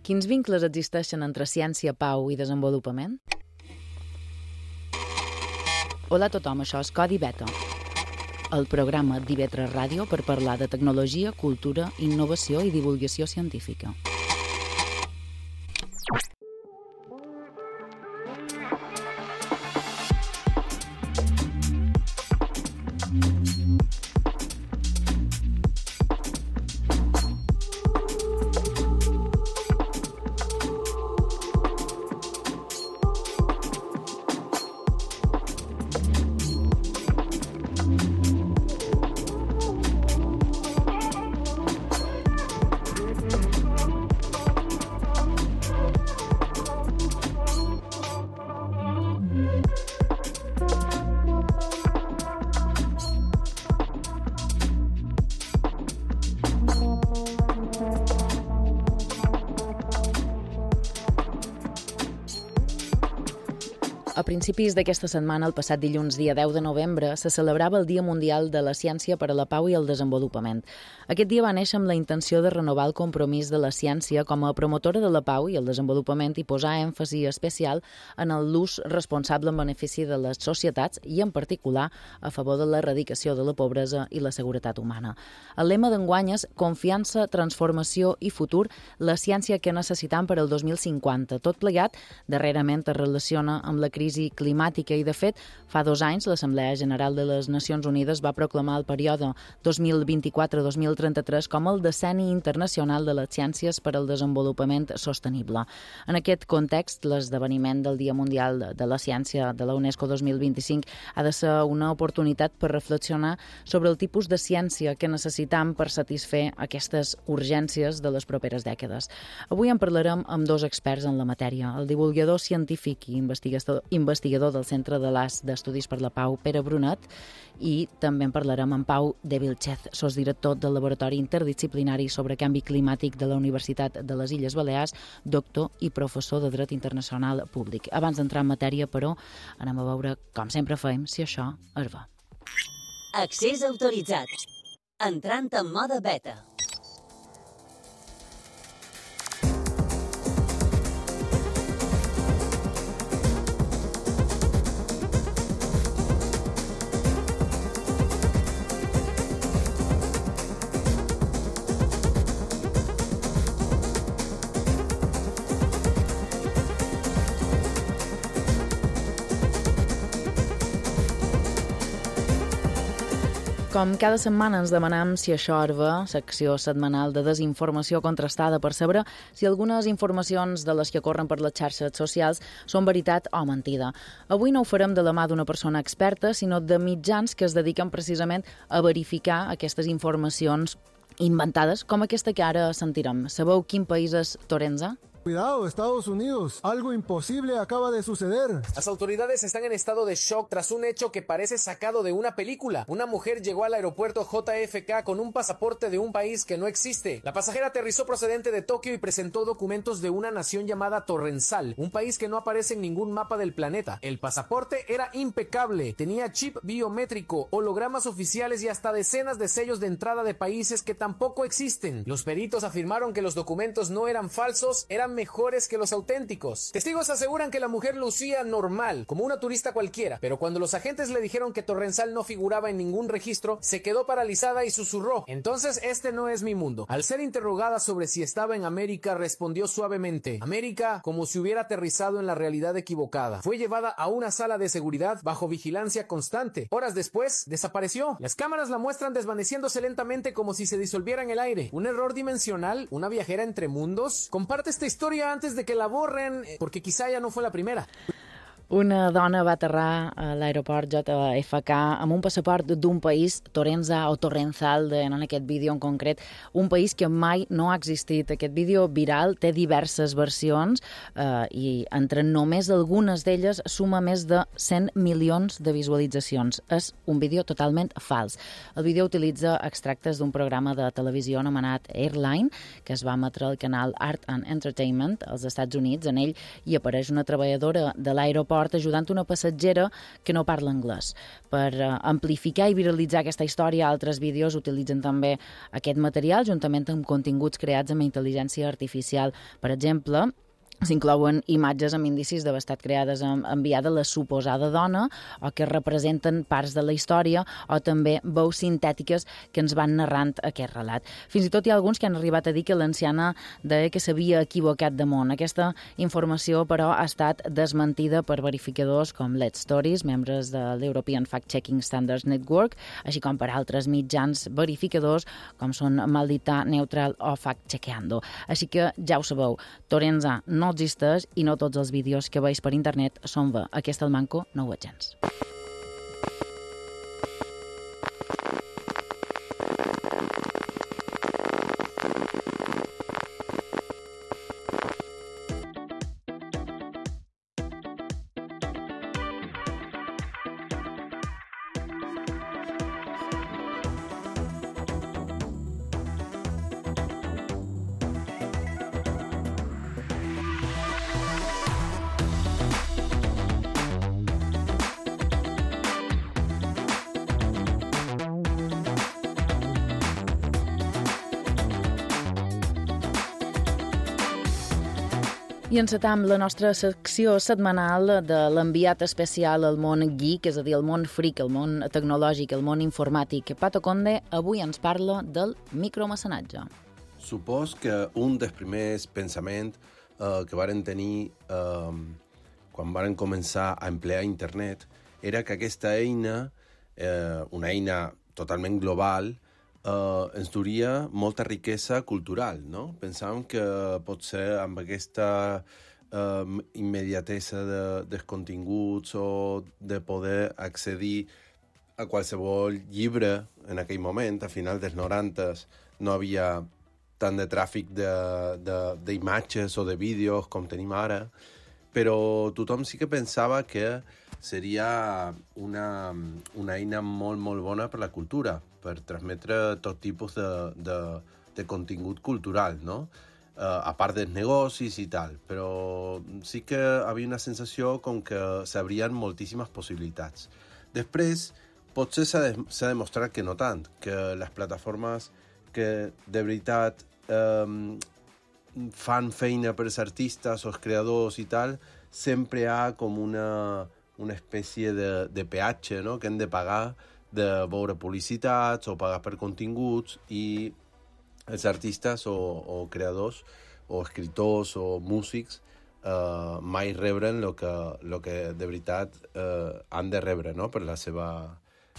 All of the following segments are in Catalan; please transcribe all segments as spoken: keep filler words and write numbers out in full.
Quins vincles existeixen entre ciència, pau i desenvolupament? Hola a tothom, això és Codi Beta, el programa d'I V tres Ràdio per parlar de tecnologia, cultura, innovació i divulgació científica. A principis d'aquesta setmana, el passat dilluns, dia deu de novembre, se celebrava el Dia Mundial de la Ciència per a la Pau i el Desenvolupament. Aquest dia va néixer amb la intenció de renovar el compromís de la ciència com a promotora de la pau i el desenvolupament i posar èmfasi especial en l'ús responsable en benefici de les societats i, en particular, a favor de l'erradicació de la pobresa i la seguretat humana. El lema d'enguany és Confiança, transformació i futur, la ciència que necessitam per al dos mil cinquanta. Tot plegat, darrerament es relaciona amb la crisi climàtica i, de fet, fa dos anys l'Assemblea General de les Nacions Unides va proclamar el període dos mil vint-i-quatre a dos mil trenta-tres com el decenni internacional de les ciències per al desenvolupament sostenible. En aquest context, l'esdeveniment del Dia Mundial de la Ciència de la UNESCO dos mil vint-i-cinc ha de ser una oportunitat per reflexionar sobre el tipus de ciència que necessitam per satisfer aquestes urgències de les properes dècades. Avui en parlarem amb dos experts en la matèria, el divulgador científic i investigador investigador del Centre de l'A S d'Estudis per la Pau, Pere Brunet, i també en parlarem amb Pau de Vilchez, sosdirector del Laboratori Interdisciplinari sobre Canvi Climàtic de la Universitat de les Illes Balears, doctor i professor de Dret Internacional Públic. Abans d'entrar en matèria, però, anem a veure, com sempre fem, si això es va. Accés autoritzat. Entrant en mode beta. Com cada setmana ens demanem si això es va, secció setmanal de desinformació contrastada per saber si algunes informacions de les que corren per les xarxes socials són veritat o mentida. Avui no ho farem de la mà d'una persona experta, sinó de mitjans que es dediquen precisament a verificar aquestes informacions inventades, com aquesta que ara sentirem. Sabeu quin país és Torenza? Cuidado, Estados Unidos. Algo imposible acaba de suceder. Las autoridades están en estado de shock tras un hecho que parece sacado de una película. Una mujer llegó al aeropuerto J F K con un pasaporte de un país que no existe. La pasajera aterrizó procedente de Tokio y presentó documentos de una nación llamada Torrensal, un país que no aparece en ningún mapa del planeta. El pasaporte era impecable, tenía chip biométrico, hologramas oficiales y hasta decenas de sellos de entrada de países que tampoco existen. Los peritos afirmaron que los documentos no eran falsos, eran mejores que los auténticos. Testigos aseguran que la mujer lucía normal, como una turista cualquiera, pero cuando los agentes le dijeron que Torrensal no figuraba en ningún registro, se quedó paralizada y susurró: "Entonces este no es mi mundo". Al ser interrogada sobre si estaba en América, respondió suavemente: "América", como si hubiera aterrizado en la realidad equivocada. Fue llevada a una sala de seguridad bajo vigilancia constante. Horas después, desapareció. Las cámaras la muestran desvaneciéndose lentamente como si se disolviera en el aire. ¿Un error dimensional? ¿Una viajera entre mundos? Comparte esta historia antes de que la borren, porque quizá ya no fue la primera. Una dona va aterrar a l'aeroport J F K amb un passaport d'un país, Torenza o Torrenzal, en aquest vídeo en concret, un país que mai no ha existit. Aquest vídeo viral té diverses versions eh, i entre només algunes d'elles suma més de cent milions de visualitzacions. És un vídeo totalment fals. El vídeo utilitza extractes d'un programa de televisió anomenat Airline, que es va emetre al canal Art and Entertainment als Estats Units. En ell hi apareix una treballadora de l'aeroport l'aeroport ajudant una passatgera que no parla anglès. Per uh, amplificar i viralitzar aquesta història, altres vídeos utilitzen també aquest material juntament amb continguts creats amb intel·ligència artificial. Per exemple, s'inclouen imatges amb indicis d'haver estat creades enviada la suposada dona o que representen parts de la història o també veus sintètiques que ens van narrant aquest relat. Fins i tot hi ha alguns que han arribat a dir que l'anciana deia que s'havia equivocat de món. Aquesta informació, però, ha estat desmentida per verificadors com Let's Stories, membres de l'European Fact-Checking Standards Network, així com per altres mitjans verificadors com són Maldita, Neutral o Fact-Chequeando. Així que ja ho sabeu, Torenza no existeix i no tots els vídeos que veus per internet són bé. Aquest el manco no ho és gens. I encetam la nostra secció setmanal de l'enviat especial al món geek, és a dir, el món freak, el món tecnològic, el món informàtic. Pato Conde avui ens parla del micromecenatge. Supos que un dels primers pensaments eh, que varen tenir eh, quan varen començar a emplear internet era que aquesta eina, eh, una eina totalment global, Uh, ens duria molta riquesa cultural, no? Pensàvem que potser amb aquesta uh, immediatesa de, dels continguts o de poder accedir a qualsevol llibre en aquell moment, a final dels noranta, no havia tant de tràfic d'imatges o de vídeos com tenim ara, però tothom sí que pensava que seria una, una eina molt, molt bona per la cultura, per transmetre tot tipus de, de, de contingut cultural, no? Uh, a part dels negocis i tal, però sí que havia una sensació com que s'abrien moltíssimes possibilitats. Després, potser s'ha de, s'ha demostrat que no tant, que les plataformes que de veritat um, fan feina per als artistes o els creadors i tal, sempre hi ha com una, una espècie de, de peatge, no?, que hem de pagar de veure publicitats o pagar per continguts, i els artistes o, o creadors o escriptors o músics eh, mai rebren el que, lo que de veritat eh, han de rebre, no?, per la seva,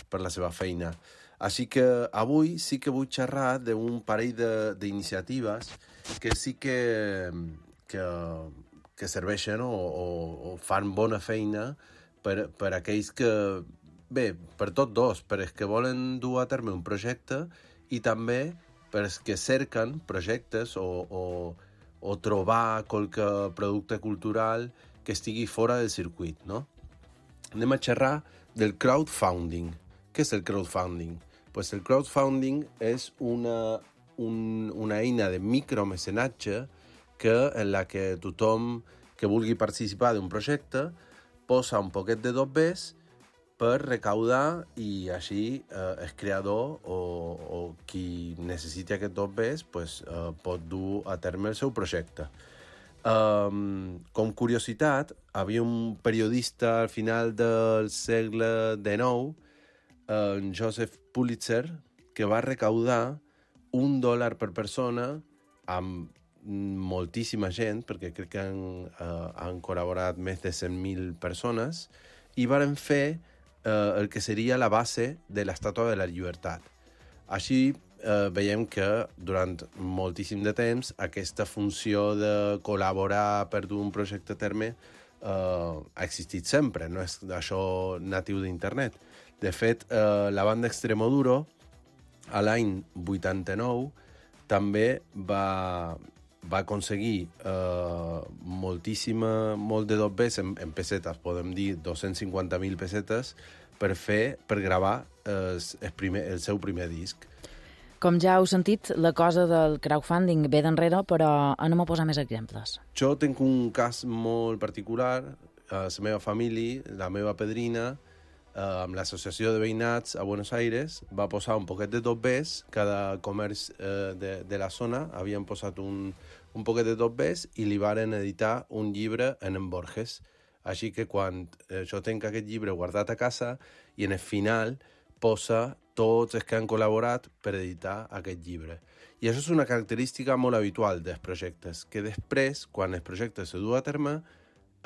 per la seva feina. Així que avui sí que vull xerrar d'un parell d'iniciatives que sí que, que, que serveixen o, o, o fan bona feina per, per aquells que, bé, per tots dos, per els que volen dur a terme un projecte i també per els que cerquen projectes o, o, o trobar qualque producte cultural que estigui fora del circuit, no? Anem a xerrar del crowdfunding. Què és el crowdfunding? Pues el crowdfunding és una, un, una eina de micromecenatge que, en la que tothom que vulgui participar d'un projecte posa un poquet de dobbers per recaudar i així eh, el creador o, o qui necessiti aquest dobbers pues, eh, pot dur a terme el seu projecte. Um, com curiositat, havia un periodista al final del segle dinou, en Joseph Pulitzer, que va recaudar un dòlar per persona amb moltíssima gent, perquè crec que han, uh, han col·laborat més de cent mil persones, i varen fer uh, el que seria la base de l'Estàtua de la Llibertat. Així uh, veiem que durant moltíssim de temps aquesta funció de col·laborar per dur un projecte a terme uh, ha existit sempre, no és això natiu d'internet. De fet, uh, la banda Extremoduro, a l'any vuitanta-nou, també va, va aconseguir uh, moltíssima, molt de dobbers en, en pessetes, podem dir dos-cents cinquanta mil pessetes, per fer, per gravar uh, el, primer, el seu primer disc. Com ja heu sentit, la cosa del crowdfunding ve d'enrere, però anem a posar més exemples. Jo tinc un cas molt particular. la meva família, la meva padrina, eh, amb l'associació de veïnats a Buenos Aires, va posar un poquet de tot bes, cada comerç eh, de, de la zona havien posat un, un poquet de tot bes i li varen editar un llibre en en Borges. Així que quan eh, jo tenc aquest llibre guardat a casa i en el final posa tots els que han col·laborat per editar aquest llibre. I això és una característica molt habitual dels projectes, que després, quan el projecte se du a terme,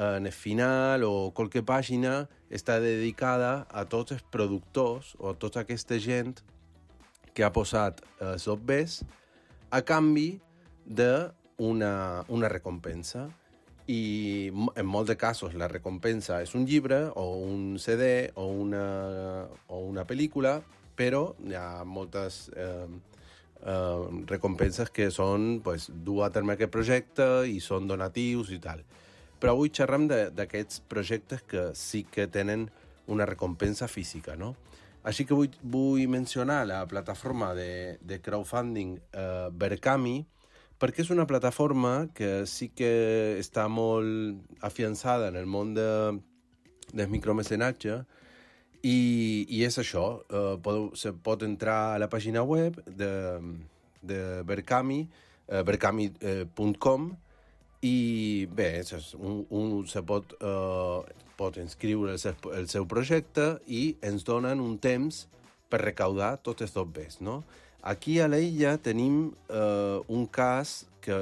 en el final o qualque pàgina està dedicada a tots els productors o a tota aquesta gent que ha posat els obres a canvi d'una una recompensa. I en molts de casos la recompensa és un llibre o un C D o una, o una pel·lícula, però hi ha moltes eh, eh, recompenses que són pues, dur a terme aquest projecte i són donatius i tal. Però avui xerrem d'aquests projectes que sí que tenen una recompensa física, no? Així que vull, vull mencionar la plataforma de, de crowdfunding eh, Berkami, perquè és una plataforma que sí que està molt afiançada en el món de, del micromecenatge i, i és això, eh, pot, se pot entrar a la pàgina web de, de Berkami, eh, berkami punt com, i bé, és un, un se pot, eh, pot inscriure el seu, el seu projecte i ens donen un temps per recaudar tots els dobbers, no? Aquí a l'illa tenim eh, un cas que,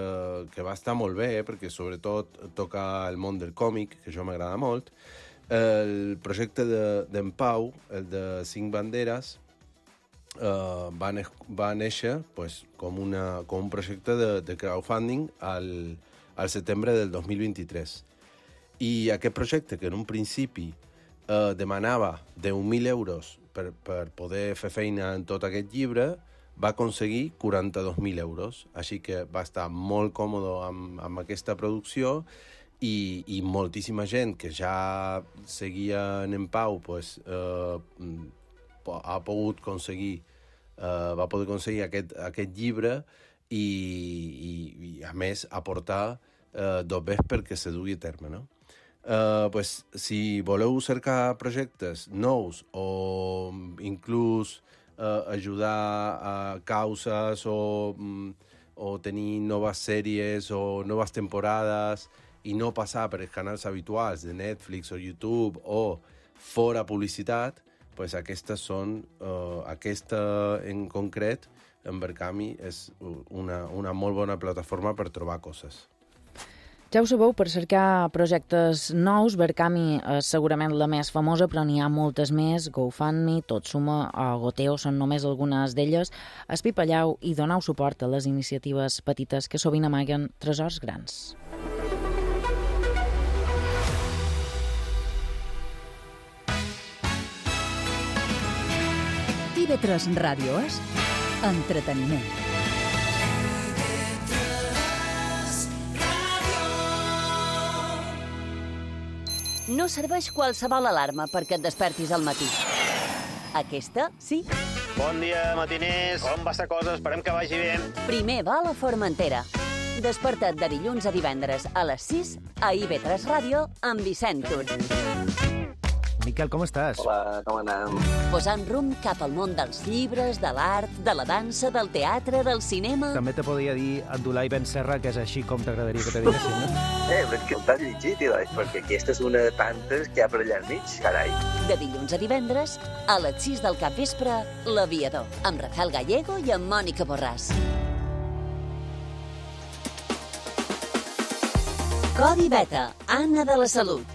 que va estar molt bé, perquè sobretot toca el món del còmic, que això m'agrada molt. El projecte d'en de, Pau, el de Cinc Banderes, eh, va, ne va néixer pues, com, una, com un projecte de, de crowdfunding al, al setembre del dos mil vint-i-tres. I aquest projecte, que en un principi eh, demanava deu mil euros per, per poder fer feina en tot aquest llibre, va aconseguir quaranta-dos mil euros, així que va estar molt còmode amb, amb aquesta producció i, i moltíssima gent que ja seguia en Pau pues, eh, ha pogut aconseguir, eh, va poder aconseguir aquest, aquest llibre i, i, i a més aportar eh, dobbers perquè se dugui a terme, no? Uh, pues, si voleu cercar projectes nous o inclús Uh, ajudar a causes o, um, o tenir noves sèries o noves temporades i no passar per els canals habituals de Netflix o YouTube o fora publicitat, pues aquestes són, uh, aquesta en concret, en Berkami, és una, una molt bona plataforma per trobar coses. Ja ho sabeu, per cercar projectes nous, Berkami és segurament la més famosa, però n'hi ha moltes més. GoFundMe, Tot Suma o Goteo són només algunes d'elles. Espipalleu i doneu suport a les iniciatives petites que sovint amaguen tresors grans. T V tres Ràdio és entreteniment. No serveix qualsevol alarma perquè et despertis al matí. Aquesta, sí. Bon dia, matiners. Com va esta cosa? Esperem que vagi bé. Primer va a la Formentera. Desperta't de dilluns a divendres a les sis a I V tres Ràdio amb Vicent Tur. Miquel, com estàs? Hola, com anem? Posant rumb cap al món dels llibres, de l'art, de la dansa, del teatre, del cinema... També te podria dir Abdulai Ben Serra, que és així com t'agradaria que te diguessin, no? Eh, però és que t'has llegit, Ilai, perquè aquesta és una de tantes que hi ha per allà al mig, carai. De dilluns a divendres, a les sis del capvespre, L'Aviador, amb Rafael Gallego i amb Mònica Borràs. Codi Beta, Anna de la Salut.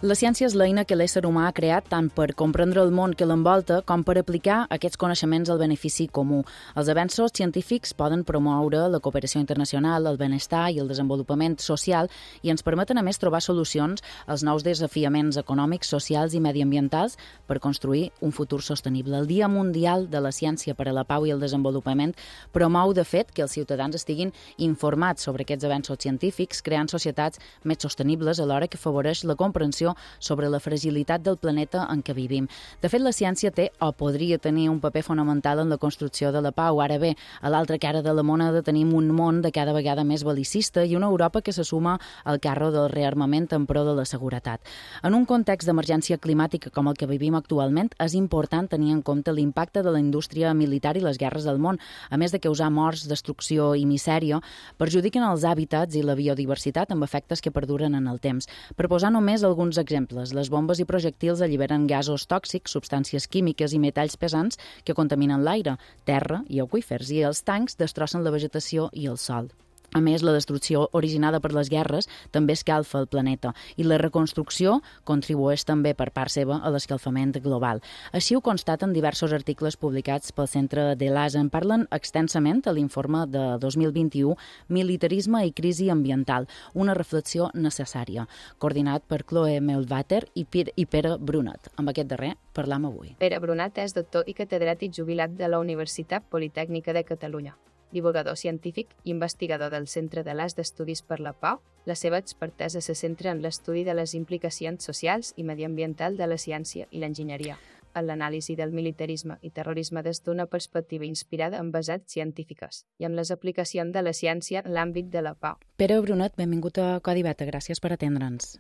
La ciència és l'eina que l'ésser humà ha creat tant per comprendre el món que l'envolta com per aplicar aquests coneixements al benefici comú. Els avenços científics poden promoure la cooperació internacional, el benestar i el desenvolupament social i ens permeten a més trobar solucions als nous desafiaments econòmics, socials i mediambientals per construir un futur sostenible. El Dia Mundial de la Ciència per a la Pau i el Desenvolupament promou, de fet, que els ciutadans estiguin informats sobre aquests avenços científics, creant societats més sostenibles alhora que afavoreix la comprensió sobre la fragilitat del planeta en què vivim. De fet, la ciència té o podria tenir un paper fonamental en la construcció de la pau. Ara bé, a l'altra cara de la moneda tenim un món de cada vegada més bel·licista i una Europa que se suma al carro del rearmament en pro de la seguretat. En un context d'emergència climàtica com el que vivim actualment, és important tenir en compte l'impacte de la indústria militar i les guerres del món, a més de causar morts, destrucció i misèria, perjudiquen els hàbitats i la biodiversitat amb efectes que perduren en el temps. Per posar només alguns exemples, les bombes i projectils alliberen gasos tòxics, substàncies químiques i metalls pesants que contaminen l'aire, terra i aqüífers, i els tancs destrossen la vegetació i el sòl. A més, la destrucció originada per les guerres també escalfa el planeta i la reconstrucció contribueix també per part seva a l'escalfament global. Així ho constaten diversos articles publicats pel Centre de l'A S A. En parlen extensament a l'informe de dos mil vint-i-u Militarisme i crisi ambiental, una reflexió necessària, coordinat per Chloe Melvater i Pere Brunat. Amb aquest darrer parlam avui. Pere Brunat és doctor i catedràtic jubilat de la Universitat Politècnica de Catalunya. Divulgador científic i investigador del Centre de l'A S d'Estudis per la Pau, la seva expertesa se centra en l'estudi de les implicacions socials i mediambientals de la ciència i l'enginyeria, en l'anàlisi del militarisme i terrorisme des d'una perspectiva inspirada en basats científiques i en les aplicacions de la ciència en l'àmbit de la pau. Pere Brunat, benvingut a Codi Beta, gràcies per atendre'ns.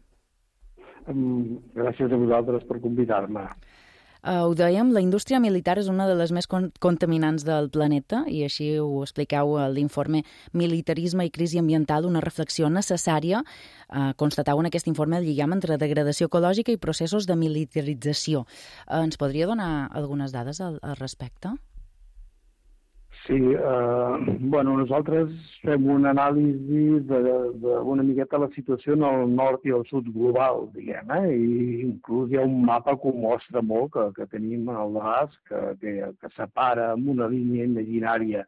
Gràcies a vosaltres per convidar-me. Uh, ho dèiem, la indústria militar és una de les més con contaminants del planeta i així ho expliqueu a l'informe Militarisme i crisi ambiental, una reflexió necessària. Uh, constatau en aquest informe el lligam entre degradació ecològica i processos de militarització. Uh, ens podria donar algunes dades al, al respecte? Sí, eh, bueno, nosaltres fem una anàlisi d'una miqueta la situació en el nord i el sud global, diguem, eh? I inclús hi ha un mapa que ho mostra molt, que, que tenim al nas, que, que, que separa amb una línia imaginària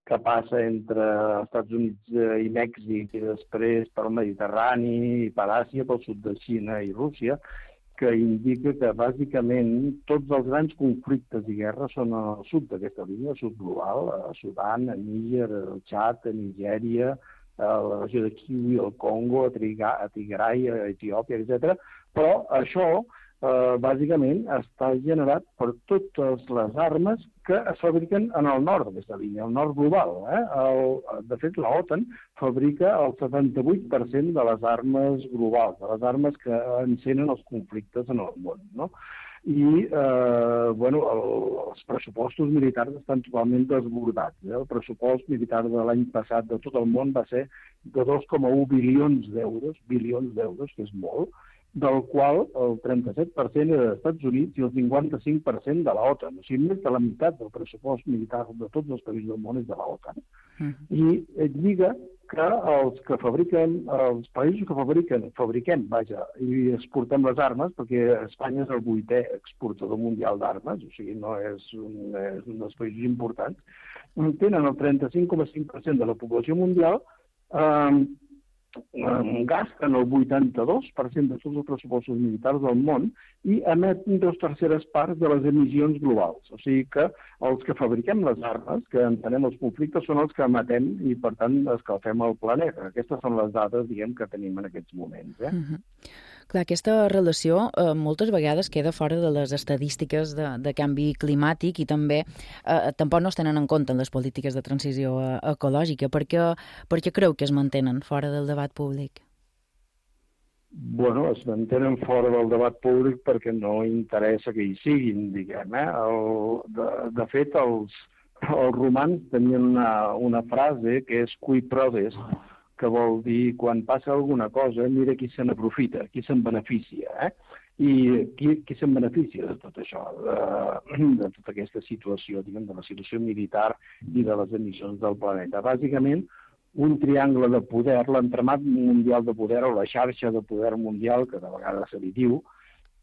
que passa entre els Estats Units i Mèxic i després pel Mediterrani i per Àsia, pel sud de Xina i Rússia, que indica que bàsicament tots els grans conflictes i guerres són al sud d'aquesta línia, al sud global, a Sudan, a Níger, al Txad, a Nigèria, a la regió de Kivu, al Congo, a Tigray, a Etiòpia, etcètera. Però això, eh, bàsicament, està generat per totes les armes que es fabriquen en el nord d'aquesta línia, el nord global. Eh? El, de fet, l'OTAN fabrica el setanta-vuit per cent de les armes globals, de les armes que encenen els conflictes en el món, no? I eh, bueno, el, els pressupostos militars estan totalment desbordats. Eh? El pressupost militar de l'any passat de tot el món va ser de dos coma u bilions d'euros, bilions d'euros, que és molt, del qual el trenta-set per cent era dels Estats Units i el cinquanta-cinc per cent de l'OTAN. O sigui, més de la meitat del pressupost militar de tots els països del món és de l'OTAN. Uh-huh. I et lliga que els que fabriquen, els països que fabriquen, fabriquem, vaja, i exportem les armes, perquè Espanya és el vuitè exportador mundial d'armes, o sigui, no és un, és un dels països importants, tenen el trenta-cinc coma cinc per cent de la població mundial, eh, gasten el vuitanta-dos per cent de tots els pressupostos militars del món i emeten dues terceres parts de les emissions globals. O sigui que els que fabriquem les armes, que entenem els conflictes, són els que emetem i, per tant, escalfem el planeta. Aquestes són les dades, diguem, que tenim en aquests moments. Eh? Uh-huh. Clar, aquesta relació eh, moltes vegades queda fora de les estadístiques de, de canvi climàtic i també eh, tampoc no es tenen en compte en les polítiques de transició eh, ecològica. Per què, per què creu que es mantenen fora del debat públic? Bueno, es mantenen fora del debat públic perquè no interessa que hi siguin, diguem. Eh? El, de, de fet, els, els romans tenien una, una frase que és cui prodest, que vol dir, quan passa alguna cosa, mira qui se n'aprofita, qui se'n beneficia. Eh? I qui, qui se'n beneficia de tot això, de, de tota aquesta situació, diguem, de la situació militar i de les emissions del planeta. Bàsicament, un triangle de poder, l'entramat mundial de poder o la xarxa de poder mundial, que de vegades se li diu,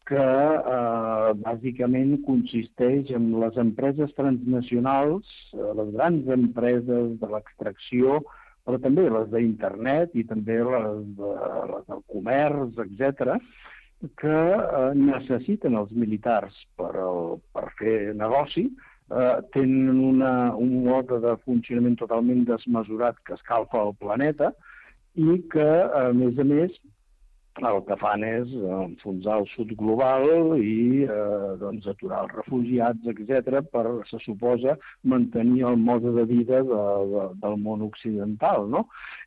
que eh, bàsicament consisteix en les empreses transnacionals, les grans empreses de l'extracció, però també les d'internet i també les, de, les del comerç, etcètera, que eh, necessiten els militars per, el, per fer negoci, eh, tenen una, un mode de funcionament totalment desmesurat que escalfa el planeta i que, a més a més, el que fan és enfonsar el sud global i eh, doncs, aturar els refugiats, etcètera, per, se suposa, mantenir el mode de vida de, de, del món occidental, no?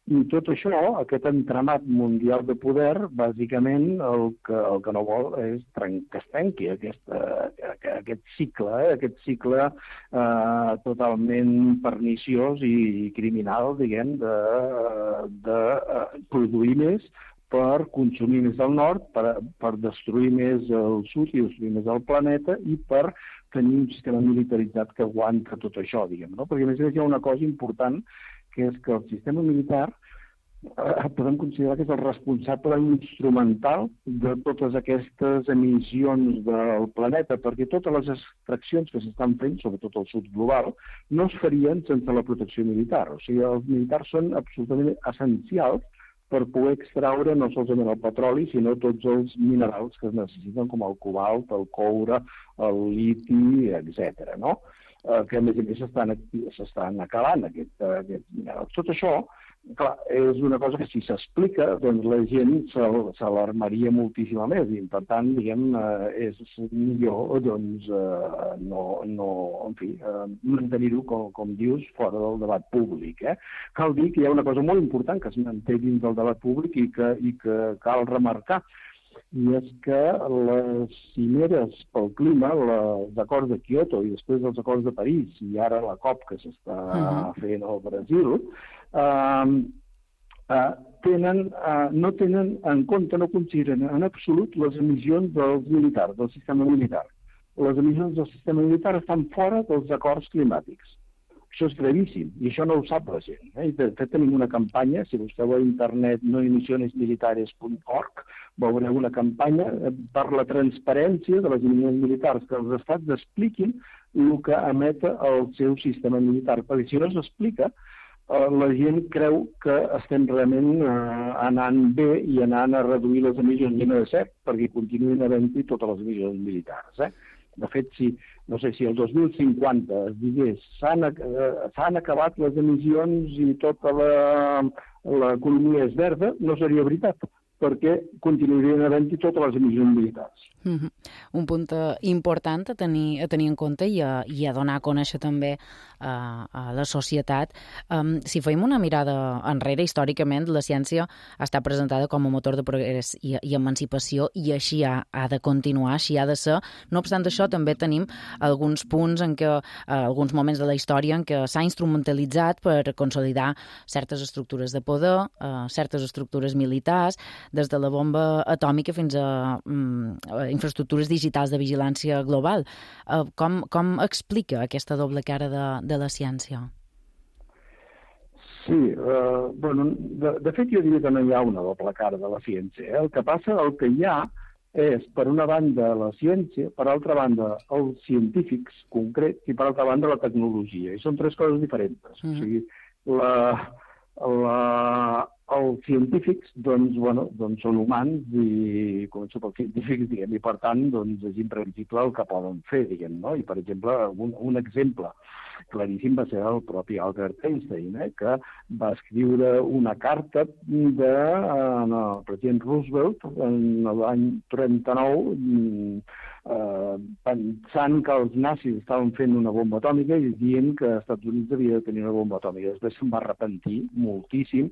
I tot això, aquest entramat mundial de poder, bàsicament el que, el que no vol és tren que es trenqui aquesta, aquest cicle, eh? aquest cicle eh, totalment perniciós i criminal, diguem, de, de eh, produir més per consumir més del nord, per, per destruir més el sud i destruir més el planeta i per tenir un sistema militaritzat que aguanta tot això, diguem, no? Perquè a més a més hi ha una cosa important, que és que el sistema militar eh, podem considerar que és el responsable instrumental de totes aquestes emissions del planeta, perquè totes les extraccions que s'estan fent, sobretot al sud global, no es farien sense la protecció militar. O sigui, els militars són absolutament essencials per poder extraure no solament el petroli, sinó tots els minerals que es necessiten, com el cobalt, el coure, el liti, etcètera, no? Eh, que a més a més s'estan acabant aquests aquest minerals. Tot això, clar, és una cosa que si s'explica, doncs la gent s'alarmaria moltíssim més i, per tant, diguem, eh, és millor, doncs, eh, no, no, en fi, eh, mantenir-ho, com, com dius, fora del debat públic, eh? Cal dir que hi ha una cosa molt important que es manté dins del debat públic i que, i que cal remarcar, i és que les cimeres pel clima, els acords de Kyoto i després els acords de París i ara la COP que s'està uh-huh. fent al Brasil, eh, eh, tenen, eh, no tenen en compte, no consideren en absolut les emissions dels militars, del sistema militar. Les emissions del sistema militar estan fora dels acords climàtics. Això és gravíssim, i això no ho sap la gent. Eh? De fet, tenim una campanya, si busqueu a internet no emisiones militares punt org, veureu una campanya per la transparència de les emissions militars, que els estats expliquin el que emet el seu sistema militar. Perquè si no s'explica, la gent creu que estem realment eh, anant bé i anant a reduir les emissions, i no és cert, perquè continuïn havent-hi totes les emissions militars. Eh? De fet, si, no sé, si el dos mil cinquanta es digués s'han eh, acabat les emissions i tota l'economia és verda, no seria veritat, perquè continuarien havent-hi totes les emissions militars. Mm-hmm. Un punt important a tenir, a tenir en compte i a, i a donar a conèixer també a, a la societat. Um, si fem una mirada enrere, històricament, la ciència ha estat presentada com a motor de progrés i, i emancipació, i així ha, ha de continuar, així ha de ser. No obstant això, també tenim alguns punts en què, uh, alguns moments de la història en què s'ha instrumentalitzat per consolidar certes estructures de poder, uh, certes estructures militars, des de la bomba atòmica fins a um, infraestructures digitals de vigilància global. Uh, com, com explica aquesta doble cara de, de la ciència? Sí, eh, bueno, de, de fet jo diria que no hi ha una doble cara de la ciència. Eh? El que passa, el que hi ha és, per una banda, la ciència, per altra banda, els científics concrets i, per altra banda, la tecnologia. I són tres coses diferents. Mm-hmm. O sigui, la... la els científics, doncs, bueno, doncs són humans i començo pels científics, diguem, i per tant, doncs, és imprevisible el que poden fer, diguem, no? I, per exemple, un, un exemple claríssim va ser el propi Albert Einstein, eh, que va escriure una carta de, eh, al president Roosevelt en l'any trenta-nou, eh, pensant que els nazis estaven fent una bomba atòmica i dient que els Estats Units havia de tenir una bomba atòmica. Després se'n va arrepentir moltíssim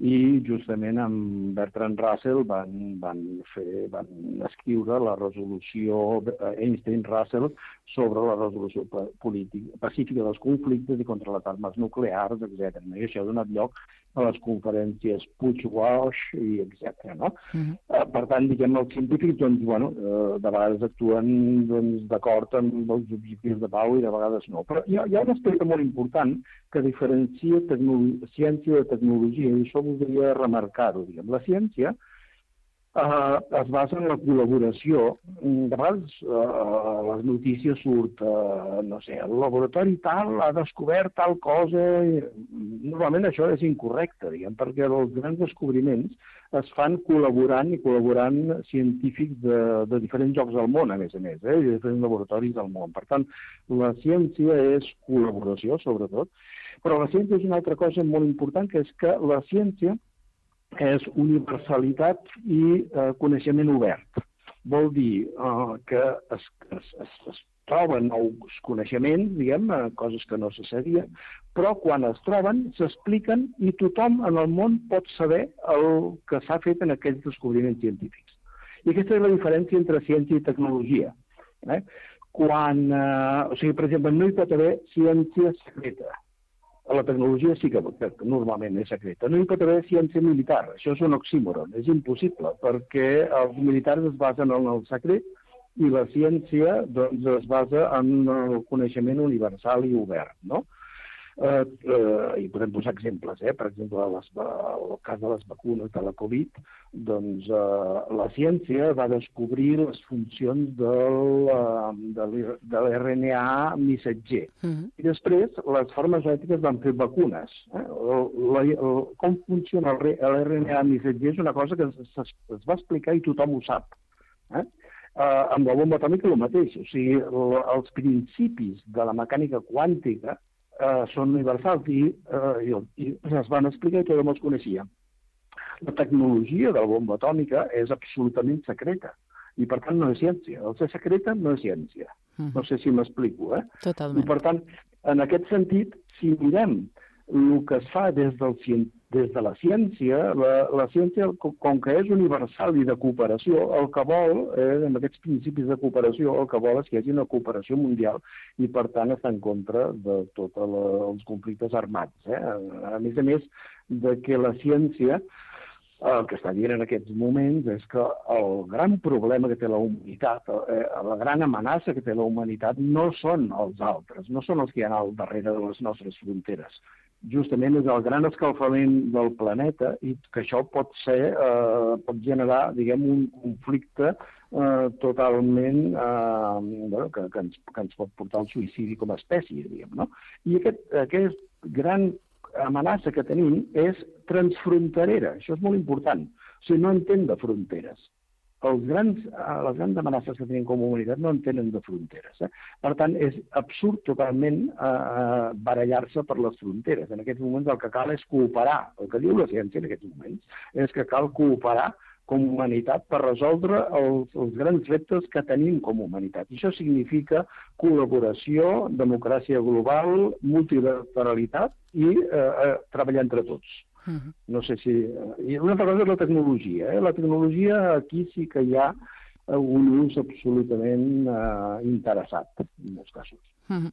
i justament amb Bertrand Russell van, van, fer, van escriure la resolució Einstein-Russell sobre la resolució política, pacífica dels conflictes i contra les armes nuclears, etcètera. I això ha donat lloc a les conferències Puig-Walsh i etcètera. No? Uh-huh. Per tant, diguem, els científics, doncs, bueno, de vegades actuen doncs, d'acord amb els objectius de pau i de vegades no. Però hi ha, hi ha un aspecte molt important que diferencia ciència de tecnologia, i això voldria remarcar-ho. La ciència Uh, es basa en la col·laboració. De vegades uh, les notícies surt, uh, no sé, el laboratori tal ha descobert tal cosa. I, normalment això és incorrecte, diguem, perquè els grans descobriments es fan col·laborant i col·laborant científics de, de diferents llocs del món, a més a més, eh, i de diferents laboratoris del món. Per tant, la ciència és col·laboració, sobretot, però la ciència és una altra cosa molt important, que és que la ciència és universalitat i eh, coneixement obert. Vol dir eh, que es, es, es, es troben nous coneixements, diguem, eh, coses que no se sabia, però quan es troben s'expliquen i tothom en el món pot saber el que s'ha fet en aquells descobriments científics. I aquesta és la diferència entre ciència i tecnologia. Eh? Quan, eh, o sigui, per exemple, no hi pot haver ciència secreta. La tecnologia sí que, que normalment és secreta. No hi pot haver ciència militar. Això és un oxímoron, és impossible, perquè els militars es basen en el secret i la ciència doncs, es basa en el coneixement universal i obert, no? Eh, eh, I podem posar exemples, eh? Per exemple, les, el cas de les vacunes de la Covid, doncs eh, la ciència va descobrir les funcions del, de l'R N A missatger. Uh-huh. I després les farmacèutiques van fer vacunes. Eh? La, la, com funciona l'R N A missatger és una cosa que es, es, es va explicar i tothom ho sap. Eh? Uh, amb la bomba atòmica el mateix. O sigui, l, els principis de la mecànica quàntica uh, són universals i, uh, i, i es van explicar i tothom els coneixia. La tecnologia de la bomba atòmica és absolutament secreta i, per tant, no és ciència. El ser secreta no és ciència. Mm. No sé si m'explico, eh? Totalment. I, per tant, en aquest sentit, si mirem el que es fa des del científic, des de la ciència, la, la ciència, com que és universal i de cooperació, el que vol, eh, amb aquests principis de cooperació, el que vol és que hi hagi una cooperació mundial i, per tant, està en contra de tots els conflictes armats. Eh? A més a més, de que la ciència, el que està dient en aquests moments és que el gran problema que té la humanitat, eh, la gran amenaça que té la humanitat no són els altres, no són els que hi ha al darrere de les nostres fronteres. Justament és el gran escalfament del planeta i que això pot ser, eh, pot generar, diguem, un conflicte eh, totalment eh, bueno, que, que, ens, que ens pot portar al suïcidi com a espècie, diguem, no? I aquest, aquest gran amenaça que tenim és transfronterera, això és molt important, o sigui, no entén de fronteres. Els grans, les grans amenaces que tenim com a humanitat no en tenen de fronteres. Eh? Per tant, és absurd totalment eh, barallar-se per les fronteres. En aquests moments el que cal és cooperar. El que diu la ciència en aquests moments és que cal cooperar com a humanitat per resoldre els, els grans reptes que tenim com a humanitat. I això significa col·laboració, democràcia global, multilateralitat i eh, eh, treballar entre tots. Uh-huh. No sé si... I una altra cosa és la tecnologia. Eh? La tecnologia aquí sí que hi ha un ús absolutament uh, interessat, en molts casos. Uh-huh.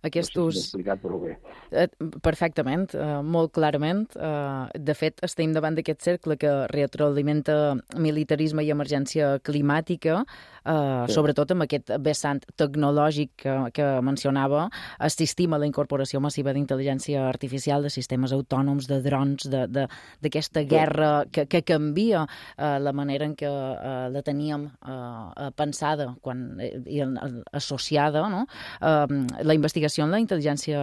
Aquest ús... No sé si l'he explicat prou bé. Uh, perfectament, uh, molt clarament. Uh, de fet, estem davant d'aquest cercle que retroalimenta militarisme i emergència climàtica, uh, sí. Sobretot amb aquest vessant tecnològic que, que mencionava. Assistim a la incorporació massiva d'intel·ligència artificial, de sistemes autònoms, de drons, d'aquesta guerra que, que canvia uh, la manera en què uh, la teníem uh, pensada quan, i uh, associada, no? Uh, la investigació en la intel·ligència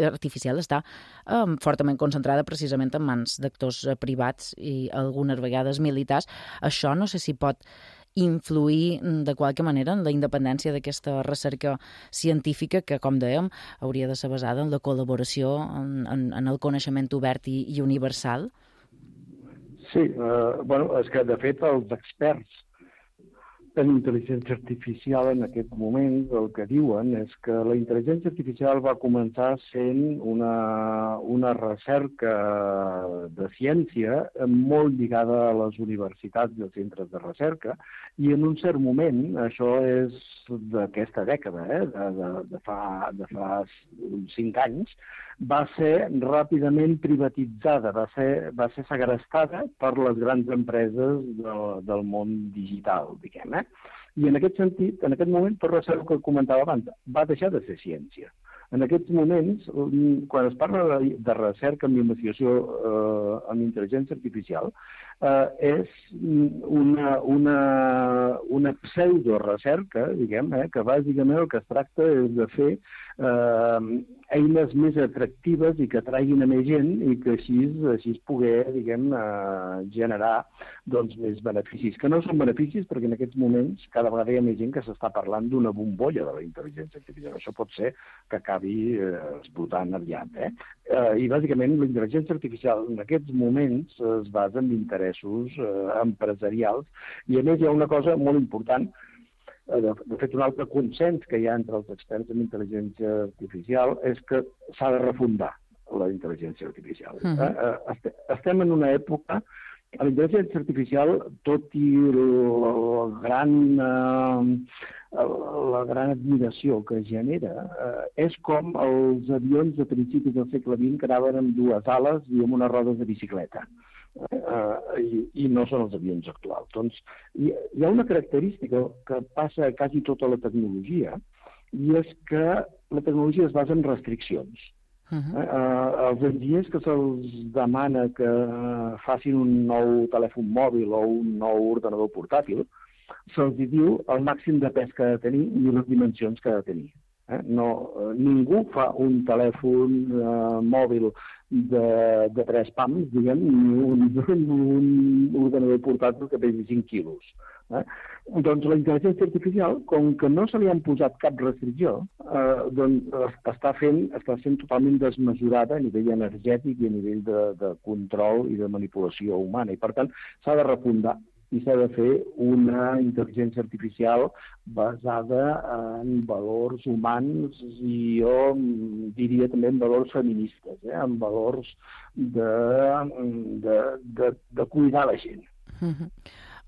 artificial està um, fortament concentrada precisament en mans d'actors uh, privats i algunes vegades militars. Això no sé si pot influir de qualque manera en la independència d'aquesta recerca científica que, com dèiem, hauria de ser basada en la col·laboració, en, en, en el coneixement obert i, i universal? Sí, eh, bueno, és que de fet els experts en intel·ligència artificial en aquest moment el que diuen és que la intel·ligència artificial va començar sent una, una recerca de ciència molt lligada a les universitats i als centres de recerca i en un cert moment, això és d'aquesta dècada, eh, de, de, de, fa, de fa uns cinc anys, va ser ràpidament privatitzada, va ser, va ser segrestada per les grans empreses de, del món digital, diguem, eh? I en aquest sentit, en aquest moment, tot el que comentava abans, va deixar de ser ciència. En aquests moments, quan es parla de, de recerca en investigació eh, en intel·ligència artificial, eh, és una, una, una pseudo-recerca, diguem, eh, que bàsicament el que es tracta és de fer eh, eines més atractives i que atraguin a més gent i que així, així es poder, diguem, eh, generar doncs, més beneficis, que no són beneficis perquè en aquests moments cada vegada hi ha més gent que s'està parlant d'una bombolla de la intel·ligència artificial. Això pot ser que acabi s'acabi eh, esgotant aviat. Eh? Eh, I, bàsicament, la intel·ligència artificial en aquests moments es basa en interessos eh, empresarials i, a més, hi ha una cosa molt important, eh, de, de fet, un altre consens que hi ha entre els experts en intel·ligència artificial és que s'ha de refundar la intel·ligència artificial. Uh -huh. eh, eh, estem en una època. La intel·ligència artificial, tot i la gran, eh, la gran admiració que genera, eh, és com els avions de principis del segle vint que anaven amb dues ales i amb unes rodes de bicicleta. Eh, i, i no són els avions actuals. Doncs hi, hi ha una característica que passa a quasi tota la tecnologia, i és que la tecnologia es basa en restriccions. Uh-huh. eh, els enginyers que se'ls demana que facin un nou telèfon mòbil o un nou ordenador portàtil, se'ls diu el màxim de pes que ha de tenir i les dimensions que ha de tenir. Eh? No, eh, ningú fa un telèfon eh, mòbil de, de tres pams, diguem, ni un, un ordenador portàtil que pesi cinc quilos. Eh? Doncs la intel·ligència artificial, com que no se li han posat cap restricció, eh, doncs està fent, està sent totalment desmesurada a nivell energètic i a nivell de, de control i de manipulació humana. I, per tant, s'ha de refundar i s'ha de fer una intel·ligència artificial basada en valors humans i jo diria també en valors feministes, eh? En valors de, de, de, de cuidar la gent. Uh-huh.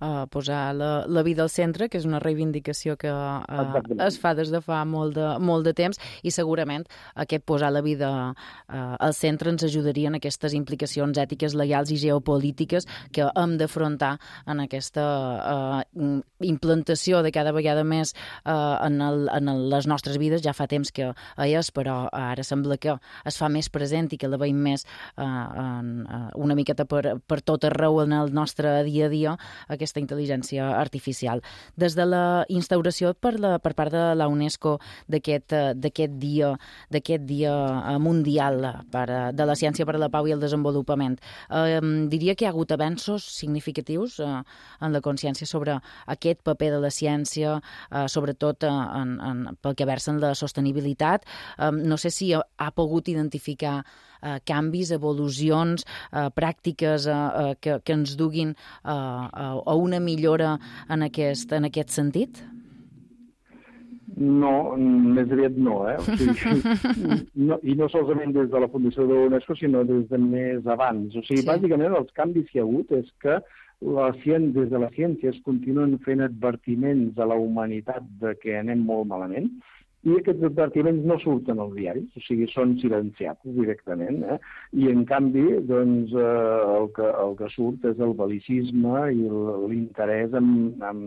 Uh, posar la, la vida al centre, que és una reivindicació que uh, es fa des de fa molt de, molt de temps, i segurament aquest posar la vida uh, al centre ens ajudaria en aquestes implicacions ètiques, legals i geopolítiques que hem d'afrontar en aquesta uh, implantació de cada vegada més uh, en, el, en el, les nostres vides. Ja fa temps que és, però ara sembla que es fa més present i que la veiem més uh, en, uh, una miqueta per, per tot arreu en el nostre dia a dia, aquesta intel·ligència artificial. Des de la instauració per, la, per part de la UNESCO d'aquest d'aquest dia, d'aquest dia mundial per, de la ciència per a la pau i el desenvolupament, eh, diria que hi ha hagut avenços significatius eh, en la consciència sobre aquest paper de la ciència, eh, sobretot eh, en, en, pel que versa en la sostenibilitat. Eh, no sé si ha, ha pogut identificar Uh, canvis, evolucions, uh, pràctiques uh, uh, que, que ens duguin uh, uh, a una millora en aquest, en aquest sentit? No, més aviat no, eh? O sigui, no, i no solament des de la Fundació de l'UNESCO, sinó des de més abans. O sigui, sí. Bàsicament els canvis que hi ha hagut és que la ciència, des de la ciència es continuen fent advertiments a la humanitat de que anem molt malament, i aquests advertiments no surten als diaris, o sigui, són silenciats directament, eh? I en canvi, doncs, eh, el, que, el que surt és el bel·licisme i l'interès en, en,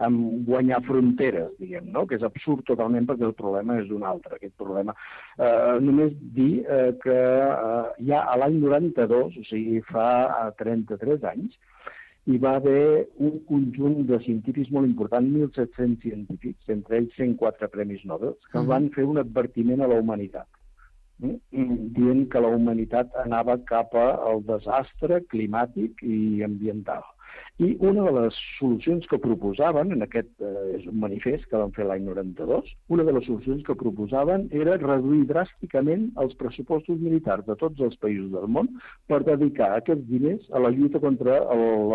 en guanyar fronteres, diguem, no? Que és absurd totalment perquè el problema és un altre, aquest problema. Eh, només dir eh, que eh, ja a l'any noranta-dos, o sigui, fa trenta-tres anys, hi va haver un conjunt de científics molt important, mil set-cents científics, entre ells cent quatre premis Nobel, que uh-huh. van fer un advertiment a la humanitat, eh? dient que la humanitat anava cap al desastre climàtic i ambiental. I una de les solucions que proposaven, en aquest eh, és un manifest que van fer l'any noranta-dos, una de les solucions que proposaven era reduir dràsticament els pressupostos militars de tots els països del món per dedicar aquests diners a la lluita contra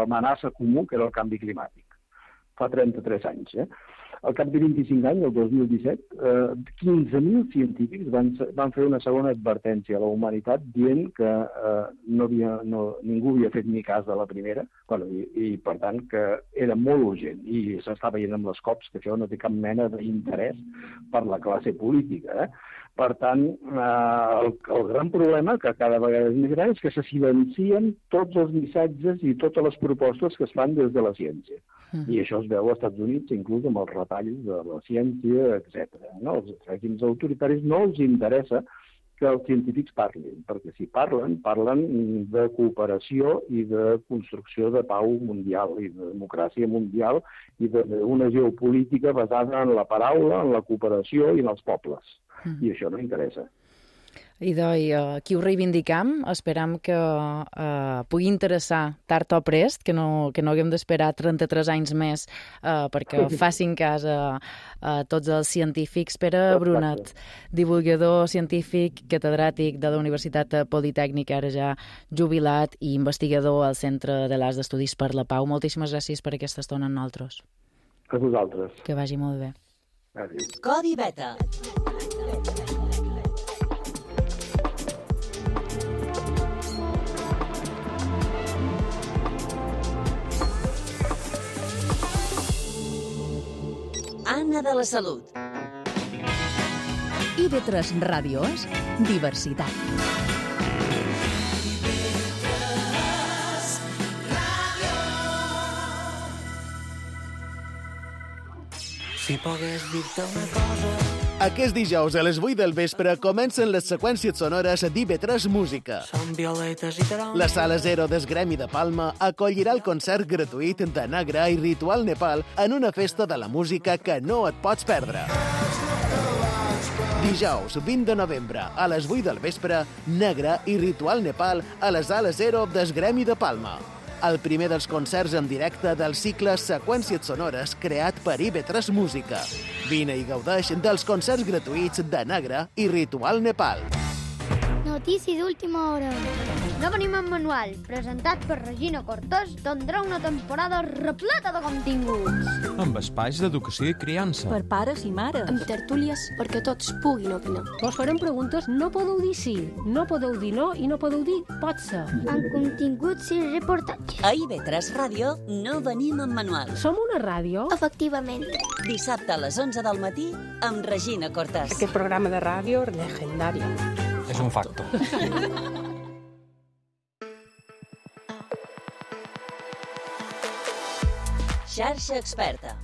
l'amenaça comú que era el canvi climàtic. Fa trenta-tres anys, eh? Al cap de vint-i-cinc anys, el dos mil disset, eh, quinze mil científics van, van fer una segona advertència a la humanitat dient que eh, no havia, no, ningú havia fet ni cas de la primera, bueno, i, i per tant que era molt urgent i s'està veient amb les cops que això no té cap mena d'interès per la classe política. Eh? Per tant, eh, el, el gran problema, que cada vegada és més gran, és que se silencien tots els missatges i totes les propostes que es fan des de la ciència. Mm. I això es veu als Estats Units, inclús amb els retalls de la ciència, etcètera. No? Els règims autoritaris no els interessa que els científics parlin, perquè si parlen, parlen de cooperació i de construcció de pau mundial i de democràcia mundial i d'una geopolítica basada en la paraula, en la cooperació i en els pobles. Mm. I això no interessa. Idò, i uh, aquí ho reivindicam, esperam que uh, pugui interessar tard o prest, que no, que no haguem d'esperar trenta-tres anys més uh, perquè facin cas a, a tots els científics. Pere Brunet, divulgador científic, catedràtic de la Universitat Politècnica, ara ja jubilat, i investigador al Centre de l'Arts d'Estudis per la Pau. Moltíssimes gràcies per aquesta estona amb nosaltres. A vosaltres. Que vagi molt bé. Adéu. Codi Beta. Anna de la Salut. I ve tres Ràdios, diversitat. Si pogués dir-te una cosa... Aquest dijous a les vuit del vespre comencen les seqüències sonores d'I V tres Música. Són violetes i taronges... La Sala Zero del Gremi de Palma acollirà el concert gratuït de Nagra i Ritual Nepal en una festa de la música que no et pots perdre. Dijous, vint de novembre, a les vuit del vespre, Nagra i Ritual Nepal a la Sala Zero del Gremi de Palma. El primer dels concerts en directe del cicle Seqüències Sonores creat per I V tres Música. Vine i gaudeix dels concerts gratuïts de Nagra i Ritual Nepal. Notícia d'última hora. No venim en manual, presentat per Regina Cortés, tindrà una temporada repleta de continguts. Amb espais d'educació i criança. Per pares i mares. Amb tertúlies perquè tots puguin opinar. Vos farem preguntes, no podeu dir sí, no podeu dir no i no podeu dir pot ser. Amb continguts i reportatges. A I V tres Ràdio no venim en manual. Som una ràdio? Efectivament. Dissabte a les onze del matí amb Regina Cortés. Aquest programa de ràdio legendari. És un facto. Xarxa Experta.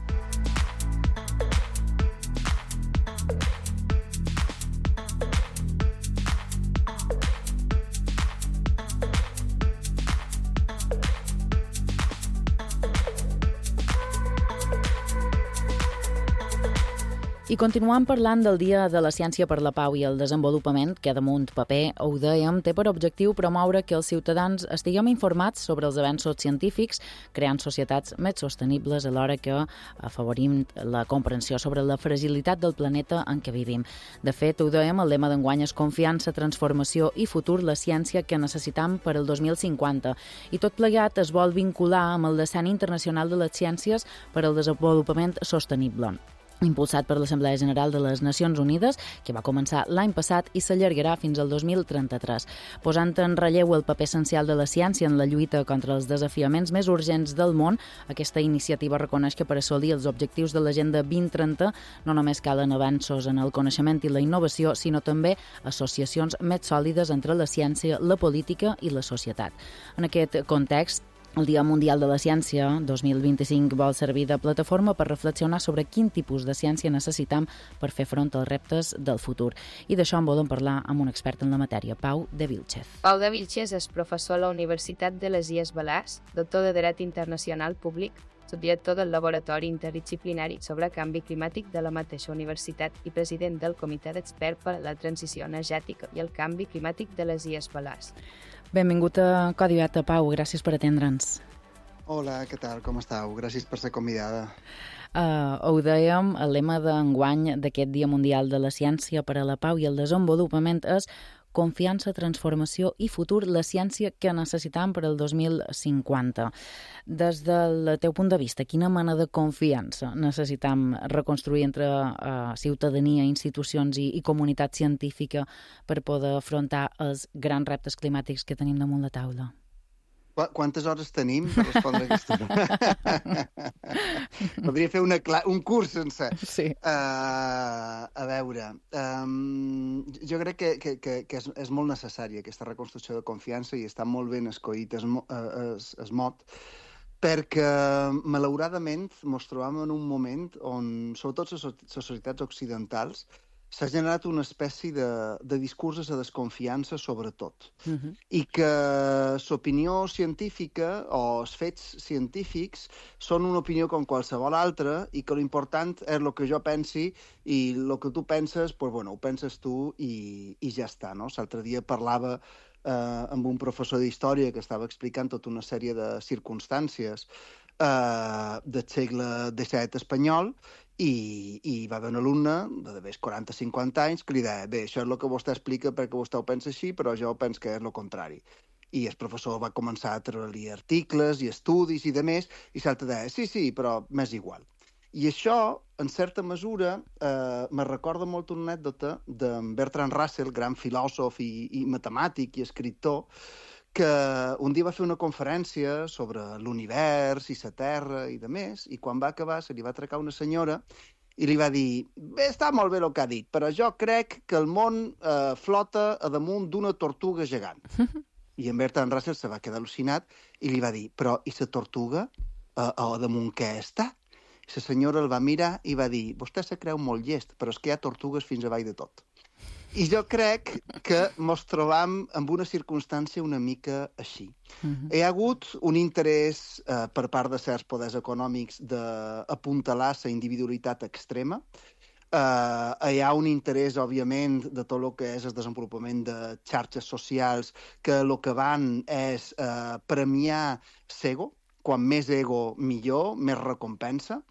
I continuant parlant del Dia de la Ciència per la Pau i el Desenvolupament, que damunt paper, ho dèiem, té per objectiu promoure que els ciutadans estiguem informats sobre els avenços científics, creant societats més sostenibles alhora que afavorim la comprensió sobre la fragilitat del planeta en què vivim. De fet, ho dèiem, el lema d'enguany és confiança, transformació i futur, la ciència que necessitam per al dos mil cinquanta. I tot plegat es vol vincular amb el Decenni Internacional de les Ciències per al Desenvolupament Sostenible, impulsat per l'Assemblea General de les Nacions Unides, que va començar l'any passat i s'allargarà fins al dos mil trenta-tres, posant en relleu el paper essencial de la ciència en la lluita contra els desafiaments més urgents del món. Aquesta iniciativa reconeix que per assolir els objectius de l'Agenda vint trenta no només calen avanços en el coneixement i la innovació, sinó també associacions més sòlides entre la ciència, la política i la societat. En aquest context, el Dia Mundial de la Ciència dos mil vint-i-cinc vol servir de plataforma per reflexionar sobre quin tipus de ciència necessitam per fer front als reptes del futur. I d'això en volem parlar amb un expert en la matèria, Pau de Vilchez. Pau de Vilchez és professor a la Universitat de les Illes Balears, doctor de Dret Internacional Públic, subdirector del Laboratori Interdisciplinari sobre Canvi Climàtic de la mateixa universitat i president del Comitè d'Experts per a la Transició Energètica i el Canvi Climàtic de les Illes Balears. Benvingut a Codi Beta, Pau. Gràcies per atendre'ns. Hola, què tal? Com estàu? Gràcies per ser convidada. Uh, ho dèiem, el lema d'enguany d'aquest Dia Mundial de la Ciència per a la Pau i el Desenvolupament és confiança, transformació i futur, la ciència que necessitam per al dos mil cinquanta. Des del teu punt de vista, quina mena de confiança necessitam reconstruir entre uh, ciutadania, institucions i, i comunitat científica per poder afrontar els grans reptes climàtics que tenim damunt la taula? Quantes hores tenim per respondre aquesta pregunta? Podria fer una cla- un curs sencer. Sí. Uh, a veure, um, jo crec que, que, que, que és, és molt necessària aquesta reconstrucció de confiança i està molt ben escollit es, es, es mot, perquè malauradament ens trobam en un moment on, sobretot les societats occidentals, s'ha generat una espècie de, de discurs de desconfiança sobre tot. Uh-huh. I que l'opinió científica o els fets científics són una opinió com qualsevol altra i que l'important és el que jo pensi i el que tu penses, pues, bueno, ho penses tu i, i ja està. No? L'altre dia parlava eh, amb un professor d'història que estava explicant tota una sèrie de circumstàncies eh, del segle disset espanyol i, i va haver un alumne de més quaranta o cinquanta anys que li deia, bé, això és el que vostè explica perquè vostè ho pensa així, però jo penso que és el contrari. I el professor va començar a treure-li articles i estudis i de més, i l'altre deia, sí, sí, però m'és igual. I això, en certa mesura, eh, me recorda molt una anècdota de Bertrand Russell, gran filòsof i, i matemàtic i escriptor, que un dia va fer una conferència sobre l'univers i la Terra i de més, i quan va acabar se li va atracar una senyora i li va dir, bé, està molt bé el que ha dit, però jo crec que el món eh, flota a damunt d'una tortuga gegant. I en Bertrand Russell se va quedar al·lucinat i li va dir, però i la tortuga eh, a damunt què està? I la senyora el va mirar i va dir, vostè se creu molt llest, però és que hi ha tortugues fins avall de tot. I jo crec que ens trobam en una circumstància una mica així. Uh-huh. Hi ha hagut un interès eh, per part de certs poders econòmics d'apuntalar la individualitat extrema. Eh, hi ha un interès, òbviament, de tot el que és el desenvolupament de xarxes socials que el que van és eh, premiar l'ego. Quan més ego, millor, més recompensa.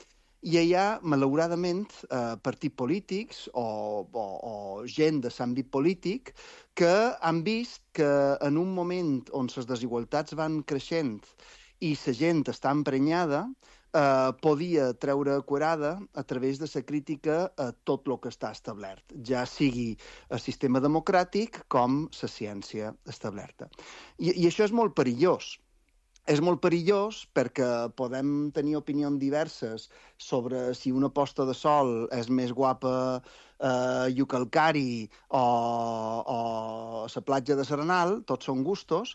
I hi ha, malauradament, eh, partits polítics o, o, o gent de l'àmbit polític que han vist que en un moment on les desigualtats van creixent i la gent està emprenyada, eh, podia treure curada a través de la crítica a tot el que està establert, ja sigui el sistema democràtic com la ciència establerta. I, i això és molt perillós. És molt perillós perquè podem tenir opinions diverses sobre si una posta de sol és més guapa a Iucalcari o, o a la platja de Serenal, tots són gustos,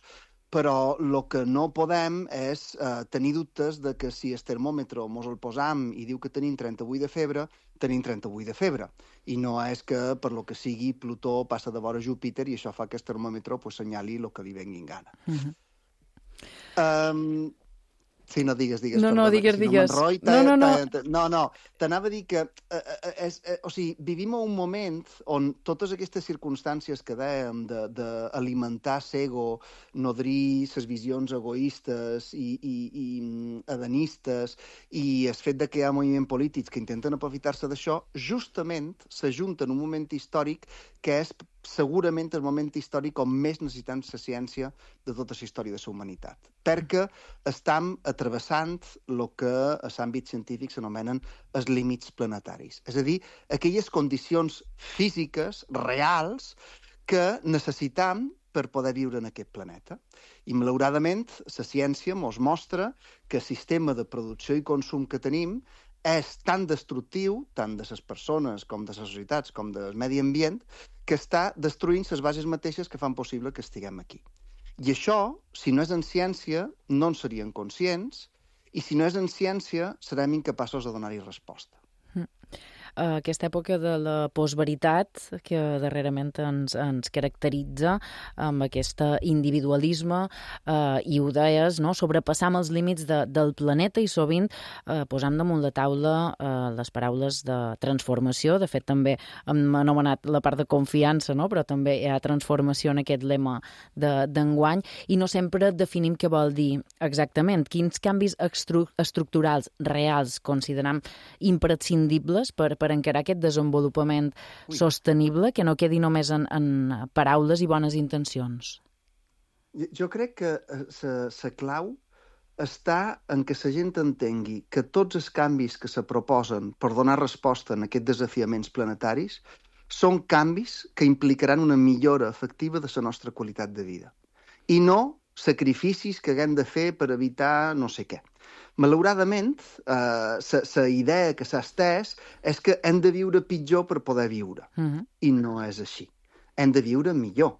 però el que no podem és eh, tenir dubtes de que si el termòmetre mos el posam i diu que tenim trenta-vuit de febre, tenim trenta-vuit de febre. I no és que, per lo que sigui, Plutó passa de vora Júpiter i això fa que el termòmetre pues, senyali el que li vengui en gana. Uh-huh. Um, sí, no digues, digues. No, no, perdona, digues, si digues. No, no, no, no. No, no, t'anava a dir que eh, eh, és, eh, o sigui, vivim en un moment on totes aquestes circumstàncies que dèiem d'alimentar l'ego, nodrir les visions egoistes i, i, i hedonistes i el fet de que hi ha moviments polítics que intenten aprofitar-se d'això, justament s'ajunta en un moment històric que és segurament el moment històric on més necessitem la ciència de tota la història de la humanitat. Perquè estem travessant el que a l'àmbit científic s'anomenen els límits planetaris. És a dir, aquelles condicions físiques reals que necessitam per poder viure en aquest planeta. I, malauradament, la ciència ens mostra que el sistema de producció i consum que tenim és tan destructiu, tant de les persones com de les societats com del medi ambient, que està destruint les bases mateixes que fan possible que estiguem aquí. I això, si no és en ciència, no en serien conscients, i si no és en ciència, serem incapaços de donar-hi resposta. Aquesta època de la postveritat que darrerament ens, ens caracteritza amb aquest individualisme eh, i ho deies, no? Sobrepassam els límits de, del planeta i sovint eh, posam damunt la taula eh, les paraules de transformació. De fet, també hem anomenat la part de confiança, no? Però també hi ha transformació en aquest lema d'enguany i no sempre definim què vol dir exactament. Quins canvis estructurals reals consideram imprescindibles per per encarar aquest desenvolupament Ui. sostenible, que no quedi només en, en paraules i bones intencions? Jo crec que la clau està en que la gent entengui que tots els canvis que se proposen per donar resposta a aquests desafiaments planetaris són canvis que implicaran una millora efectiva de la nostra qualitat de vida. I no sacrificis que haguem de fer per evitar no sé què. Malauradament, la eh, idea que s'ha estès és que hem de viure pitjor per poder viure. Uh-huh. I no és així. Hem de viure millor.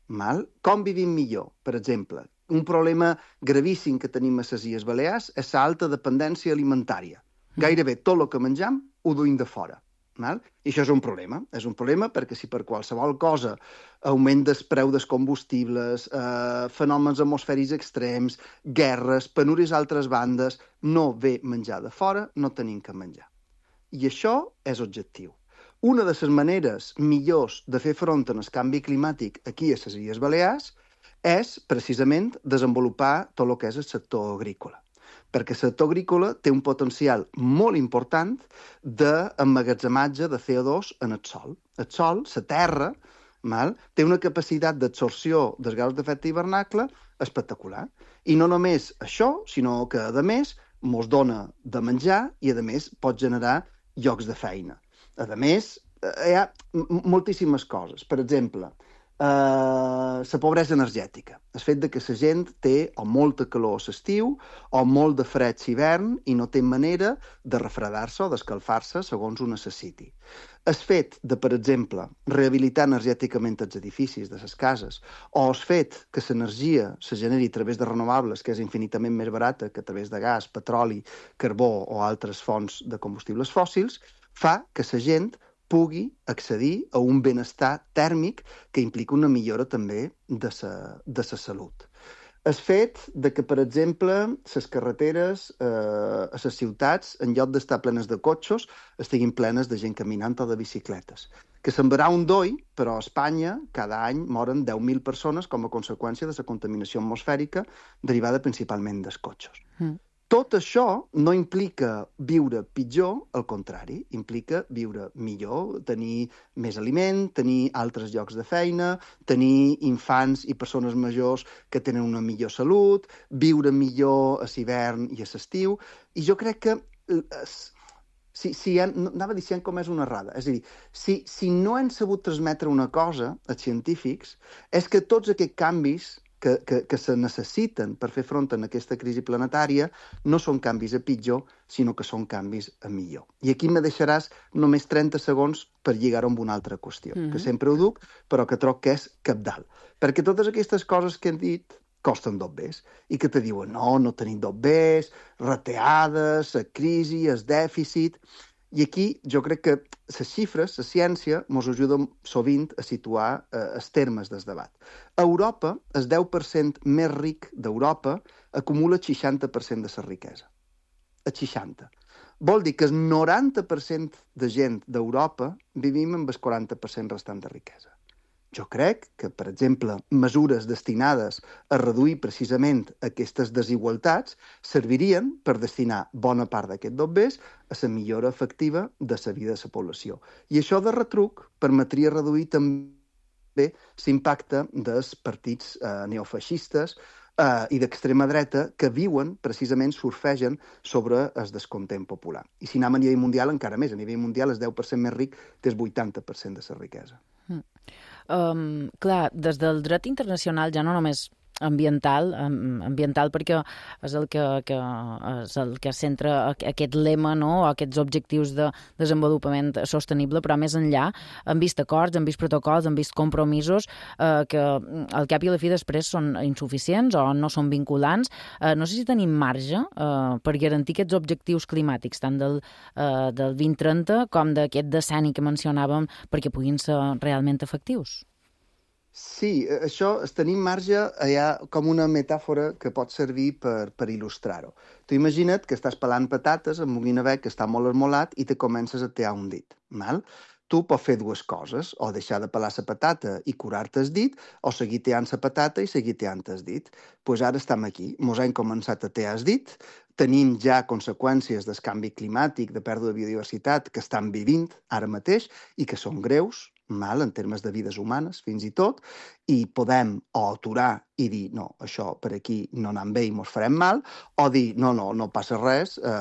Mal? Com vivim millor? Per exemple, un problema gravíssim que tenim a les Illes Balears és l'alta dependència alimentària. Uh-huh. Gairebé tot el que mengem ho duim de fora. Val? I això és un problema. És un problema perquè si per qualsevol cosa augment del preu dels combustibles, eh, fenòmens atmosfèrics extrems, guerres, penúries a altres bandes, no ve menjar de fora, no tenim que menjar. I això és objectiu. Una de les maneres millors de fer front al canvi climàtic aquí a les Illes Balears és precisament desenvolupar tot el que és el sector agrícola. Perquè el sector agrícola té un potencial molt important d'emmagatzematge de C O dos en el sol. El sol, la terra, mal, té una capacitat d'absorció dels gasos d'efecte hivernacle espectacular. I no només això, sinó que, a més, mos dona de menjar i, a més, pot generar llocs de feina. A més, hi ha moltíssimes coses. Per exemple, la uh, pobresa energètica. El fet de que la gent té o molta calor a l'estiu o molt de fred a l'hivern i no té manera de refredar-se o d'escalfar-se segons ho necessiti. El fet de, per exemple, rehabilitar energèticament els edificis de les cases o el fet que l'energia se generi a través de renovables, que és infinitament més barata que a través de gas, petroli, carbó o altres fonts de combustibles fòssils, fa que la gent pugui accedir a un benestar tèrmic que implica una millora també de sa, de sa salut. El fet de que, per exemple, les carreteres eh, a les ciutats, en lloc d'estar plenes de cotxes, estiguin plenes de gent caminant o de bicicletes. Que semblarà un doi, però a Espanya cada any moren deu mil persones com a conseqüència de la contaminació atmosfèrica derivada principalment dels cotxes. Mm. Tot això no implica viure pitjor, al contrari, implica viure millor, tenir més aliment, tenir altres llocs de feina, tenir infants i persones majors que tenen una millor salut, viure millor a l'hivern i a l'estiu. I jo crec que, si, si hem, anava dient com és una errada, és a dir, si, si no hem sabut transmetre una cosa als científics, és que tots aquests canvis que, que, que se necessiten per fer front a aquesta crisi planetària no són canvis a pitjor, sinó que són canvis a millor. I aquí me deixaràs només trenta segons per lligar-ho amb una altra qüestió, mm-hmm. que sempre ho duc, però que troc que és cabdal. Perquè totes aquestes coses que hem dit costen dobbers, i que te diuen no, no tenim dobbers, reteades, la crisi, el dèficit. I aquí jo crec que les xifres, la ciència, ens ajuden sovint a situar eh, els termes del debat. A Europa, el deu per cent més ric d'Europa acumula el seixanta per cent de la riquesa. El seixanta. Vol dir que el noranta per cent de gent d'Europa vivim amb el quaranta per cent restant de riquesa. Jo crec que, per exemple, mesures destinades a reduir precisament aquestes desigualtats servirien per destinar bona part d'aquests dobbers a la millora efectiva de la vida de la població. I això de retruc permetria reduir també l'impacte dels partits eh, neofeixistes eh, i d'extrema dreta que viuen, precisament, surfegen sobre el descontent popular. I si anem a nivell mundial, encara més. A nivell mundial, el deu per cent més ric té el vuitanta per cent de la riquesa. Mm. Um, clar, des del dret internacional ja no només ambiental, um, ambiental perquè és el que, que, és el que centra aquest lema, no?, aquests objectius de desenvolupament sostenible, però més enllà han vist acords, han vist protocols, han vist compromisos eh, que al cap i a la fi després són insuficients o no són vinculants. Eh, no sé si tenim marge eh, per garantir aquests objectius climàtics, tant del, eh, del vint trenta com d'aquest decenni que mencionàvem, perquè puguin ser realment efectius. Sí, això, tenim marge, hi ha com una metàfora que pot servir per, per il·lustrar-ho. Tu imagina't que estàs pelant patates amb un guinevec que està molt esmolat i te comences a tear un dit. Mal? Tu pots fer dues coses, o deixar de pelar la patata i curar-te el dit, o seguir teant la patata i seguir teant el dit. Doncs pues ara estem aquí, mos hem començat a tear el dit, tenim ja conseqüències del canvi climàtic, de pèrdua de biodiversitat que estan vivint ara mateix i que són greus, mal, en termes de vides humanes, fins i tot, i podem o aturar i dir, no, això per aquí no anem bé i mos farem mal, o dir, no, no, no passa res, eh,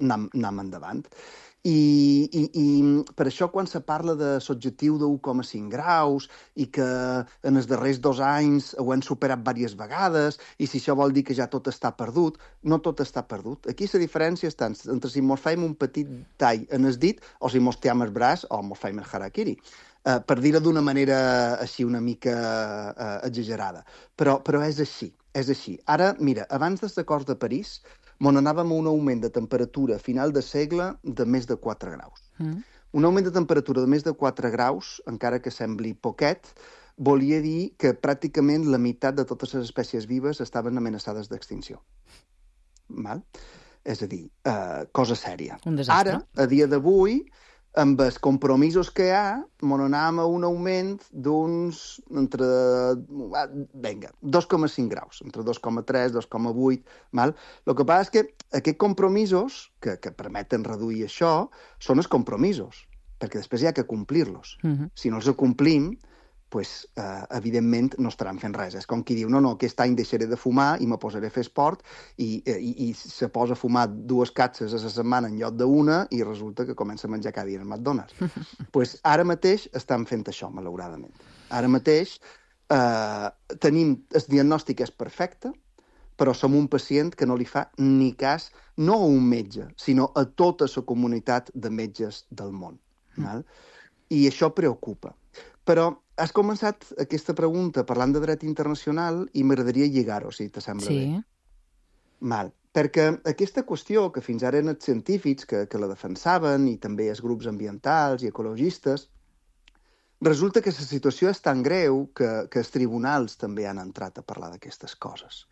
anem, anem endavant. I, i, I per això quan se parla de l'objectiu de u coma cinc graus i que en els darrers dos anys ho hem superat diverses vegades i si això vol dir que ja tot està perdut, no tot està perdut. Aquí la diferència està entre si mos fem un petit tall en el dit o si mos team el braç o mos fem el harakiri. Uh, per dir-ho d'una manera així una mica uh, exagerada. Però, però és així, és així. Ara, mira, abans dels acords de París, on anàvem a un augment de temperatura a final de segle de més de quatre graus. Mm. Un augment de temperatura de més de quatre graus, encara que sembli poquet, volia dir que pràcticament la meitat de totes les espècies vives estaven amenaçades d'extinció. Val? És a dir, eh, cosa sèria. Un desastre. Ara, a dia d'avui, amb els compromisos que hi ha, mon anàvem a un augment d'uns entre, vinga, dos coma cinc graus, entre dos coma tres, dos coma vuit, val? El que passa és que aquests compromisos que, que permeten reduir això són els compromisos, perquè després hi ha que complir-los. Uh-huh. Si no els complim, pues, eh, evidentment no estaran fent res. És com qui diu, no, no, aquest any deixaré de fumar i me posaré a fer esport i, i, i se posa a fumar dues catxes a la setmana en lloc d'una i resulta que comença a menjar cada dia en McDonald's. pues ara mateix estan fent això, malauradament. Ara mateix eh, tenim, el diagnòstic és perfecte, però som un pacient que no li fa ni cas, no a un metge, sinó a tota la comunitat de metges del món. Val? I això preocupa. Però has començat aquesta pregunta parlant de dret internacional i m'agradaria lligar-ho, si te sembla sí. bé. Mal. Perquè aquesta qüestió, que fins ara eren els científics que, que la defensaven, i també els grups ambientals i ecologistes, resulta que la situació és tan greu que, que els tribunals també han entrat a parlar d'aquestes coses.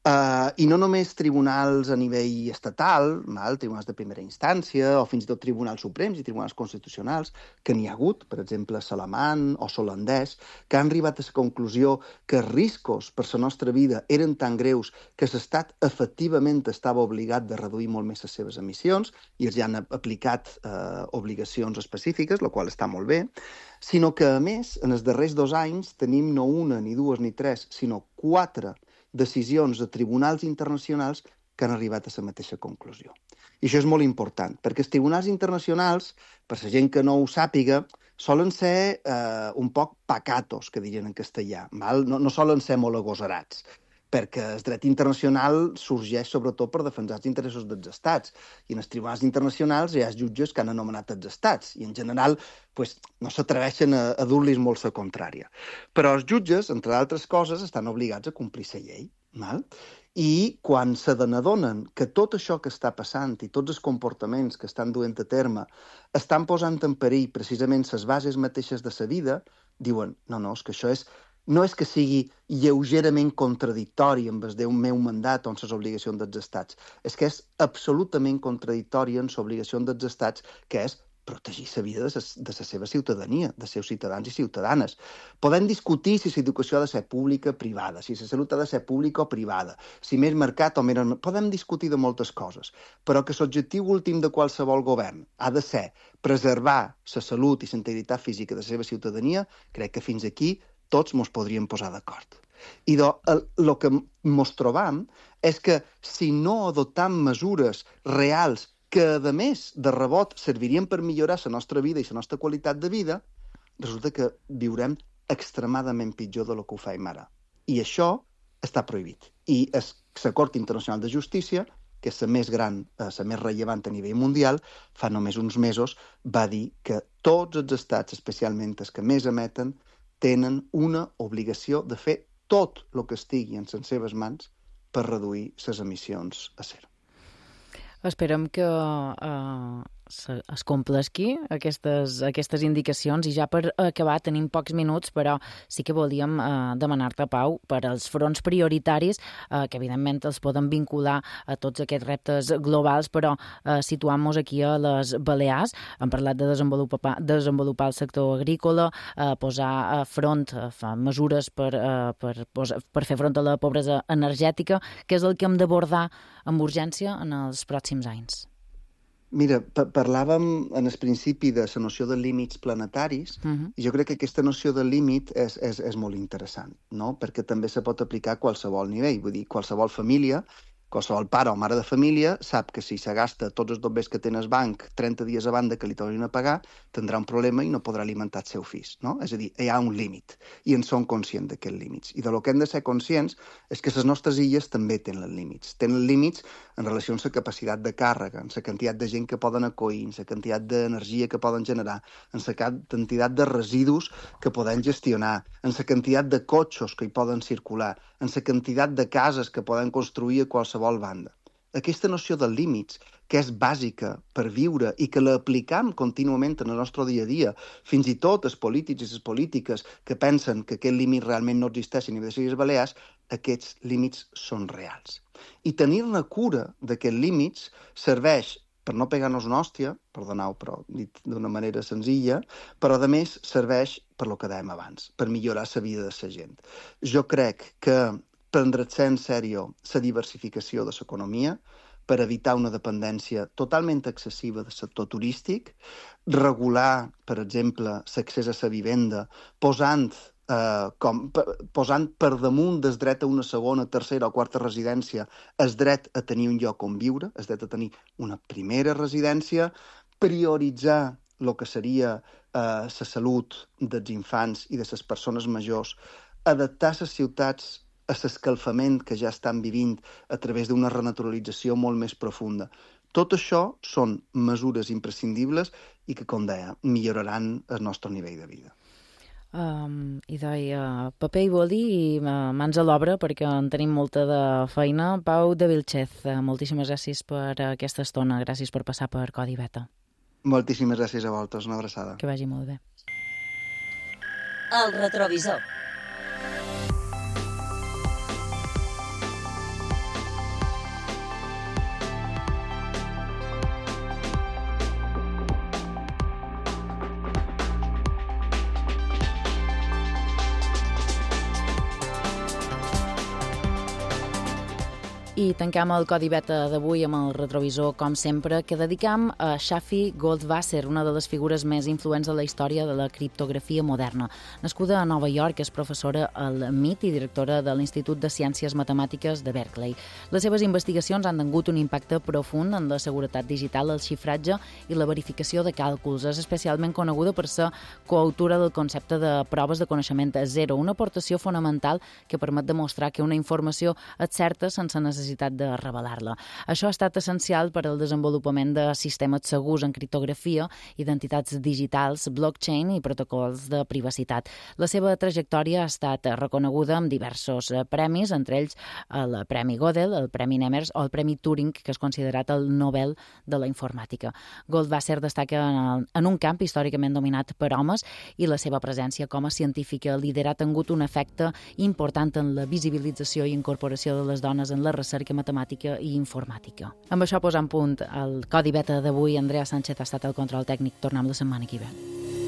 Uh, I no només tribunals a nivell estatal, mal, tribunals de primera instància, o fins i tot tribunals suprems i tribunals constitucionals, que n'hi ha hagut, per exemple, Salamán o Solandès, que han arribat a la conclusió que els riscos per la nostra vida eren tan greus que l'Estat efectivament estava obligat de reduir molt més les seves emissions i els hi han aplicat uh, obligacions específiques, la qual està molt bé, sinó que, a més, en els darrers dos anys tenim no una, ni dues, ni tres, sinó quatre decisions de tribunals internacionals que han arribat a la mateixa conclusió. I això és molt important, perquè els tribunals internacionals, per la gent que no ho sàpiga, solen ser eh, un poc pacatos, que dirien en castellà, val? No, no solen ser molt agosarats, perquè el dret internacional sorgeix sobretot per defensar els interessos dels estats. I en els tribunals internacionals hi ha jutges que han anomenat els estats, i en general pues, no s'atreveixen a, a dur-los molt la contrària. Però els jutges, entre altres coses, estan obligats a complir la llei. Val? I quan se n'adonen que tot això que està passant i tots els comportaments que estan duent a terme estan posant en perill precisament les bases mateixes de la vida, diuen, no, no, és que això és no és que sigui lleugerament contradictori amb el meu mandat o amb les obligacions dels estats, és que és absolutament contradictori amb l'obligació dels estats, que és protegir la vida de la seva ciutadania, dels seus ciutadans i ciutadanes. Podem discutir si l'educació ha de ser pública o privada, si la salut ha de ser pública o privada, si més mercat o menys... Podem discutir de moltes coses, però que l'objectiu últim de qualsevol govern ha de ser preservar la salut i la integritat física de la seva ciutadania, crec que fins aquí tots ens podríem posar d'acord. I el que ens trobam és que si no adoptam mesures reals que, a més, de rebot, servirien per millorar la nostra vida i la nostra qualitat de vida, resulta que viurem extremadament pitjor del que ho fem ara. I això està prohibit. I la Cort Internacional de Justícia, que és la més gran, la més rellevant a nivell mundial, fa només uns mesos va dir que tots els estats, especialment els que més emeten, tenen una obligació de fer tot el que estigui en les seves mans per reduir les emissions a zero. Esperem que eh, es complesqui aquestes, aquestes indicacions i ja per acabar tenim pocs minuts, però sí que volíem eh, demanar-te, Pau, per als fronts prioritaris, eh, que evidentment els poden vincular a tots aquests reptes globals, però eh, situant-nos aquí a les Balears, hem parlat de desenvolupar, desenvolupar el sector agrícola, eh, posar a front, eh, mesures per, eh, per, per fer front a la pobresa energètica, que és el que hem d'abordar amb urgència en els pròxims anys. Mira, parlàvem en el principi de la noció de límits planetaris, uh-huh. i jo crec que aquesta noció de límit és, és, és molt interessant, no? Perquè també se pot aplicar a qualsevol nivell, vull dir, qualsevol família, qualsevol pare o mare de família sap que si se gasta tots els bombers que té el banc trenta dies a banda que li tornin a pagar, tindrà un problema i no podrà alimentar el seu fill, no? És a dir, hi ha un límit, i en som conscients d'aquests límits. I de lo que hem de ser conscients és que les nostres illes també tenen límits. Tenen límits en relació amb la capacitat de càrrega, en la quantitat de gent que poden acollir, en la quantitat d'energia que poden generar, en la quantitat de residus que poden gestionar, en la quantitat de cotxes que hi poden circular, en la quantitat de cases que poden construir a qualsevol banda. aquesta noció de límits, que és bàsica per viure i que l'aplicam contínuament en el nostre dia a dia, fins i tot els polítics i les polítiques que pensen que aquests límits realment no existeixen i de les Illes Balears, aquests límits són reals. I tenir-ne cura d'aquests límits serveix per no pegar-nos una hòstia, perdoneu, però dit d'una manera senzilla, però a més serveix per lo que dèiem abans, per millorar la vida de la gent. Jo crec que prendre's en sèrio la diversificació de l'economia per evitar una dependència totalment excessiva del sector turístic, regular, per exemple, l'accés a la vivenda, posant, eh, com, posant per damunt del dret a una segona, tercera o quarta residència el dret a tenir un lloc on viure, el dret a tenir una primera residència, prioritzar el que seria la eh, salut dels infants i de les persones majors, adaptar les ciutats a l'escalfament que ja estan vivint a través d'una renaturalització molt més profunda. Tot això són mesures imprescindibles i que, com deia, milloraran el nostre nivell de vida. Um, I deia, paper i boli i uh, mans a l'obra perquè en tenim molta de feina. Pau de Vilchez, uh, moltíssimes gràcies per aquesta estona, gràcies per passar per Codi Beta. Moltíssimes gràcies a vosaltres, una abraçada. Que vagi molt bé. El retrovisor. I tancam el Codi Beta d'avui amb el retrovisor, com sempre, que dedicam a Shafi Goldwasser, una de les figures més influents de la història de la criptografia moderna. Nascuda a Nova York, és professora al M I T i directora de l'Institut de Ciències Matemàtiques de Berkeley. Les seves investigacions han tingut un impacte profund en la seguretat digital, el xifratge i la verificació de càlculs. És especialment coneguda per ser coautora del concepte de proves de coneixement zero, una aportació fonamental que permet demostrar que una informació és certa sense necessitat de revelar-la. Això ha estat essencial per al desenvolupament de sistemes segurs en criptografia, identitats digitals, blockchain i protocols de privacitat. La seva trajectòria ha estat reconeguda amb diversos premis, entre ells el Premi Gödel, el Premi Nemers o el Premi Turing, que és considerat el Nobel de la informàtica. Goldwasser destaca en un camp històricament dominat per homes i la seva presència com a científica líder ha tingut un efecte important en la visibilització i incorporació de les dones en la recerca matemàtica i informàtica. Amb això posant punt al Codi Beta d'avui. Andrea Sánchez ha estat al control tècnic. Tornem la setmana que ve.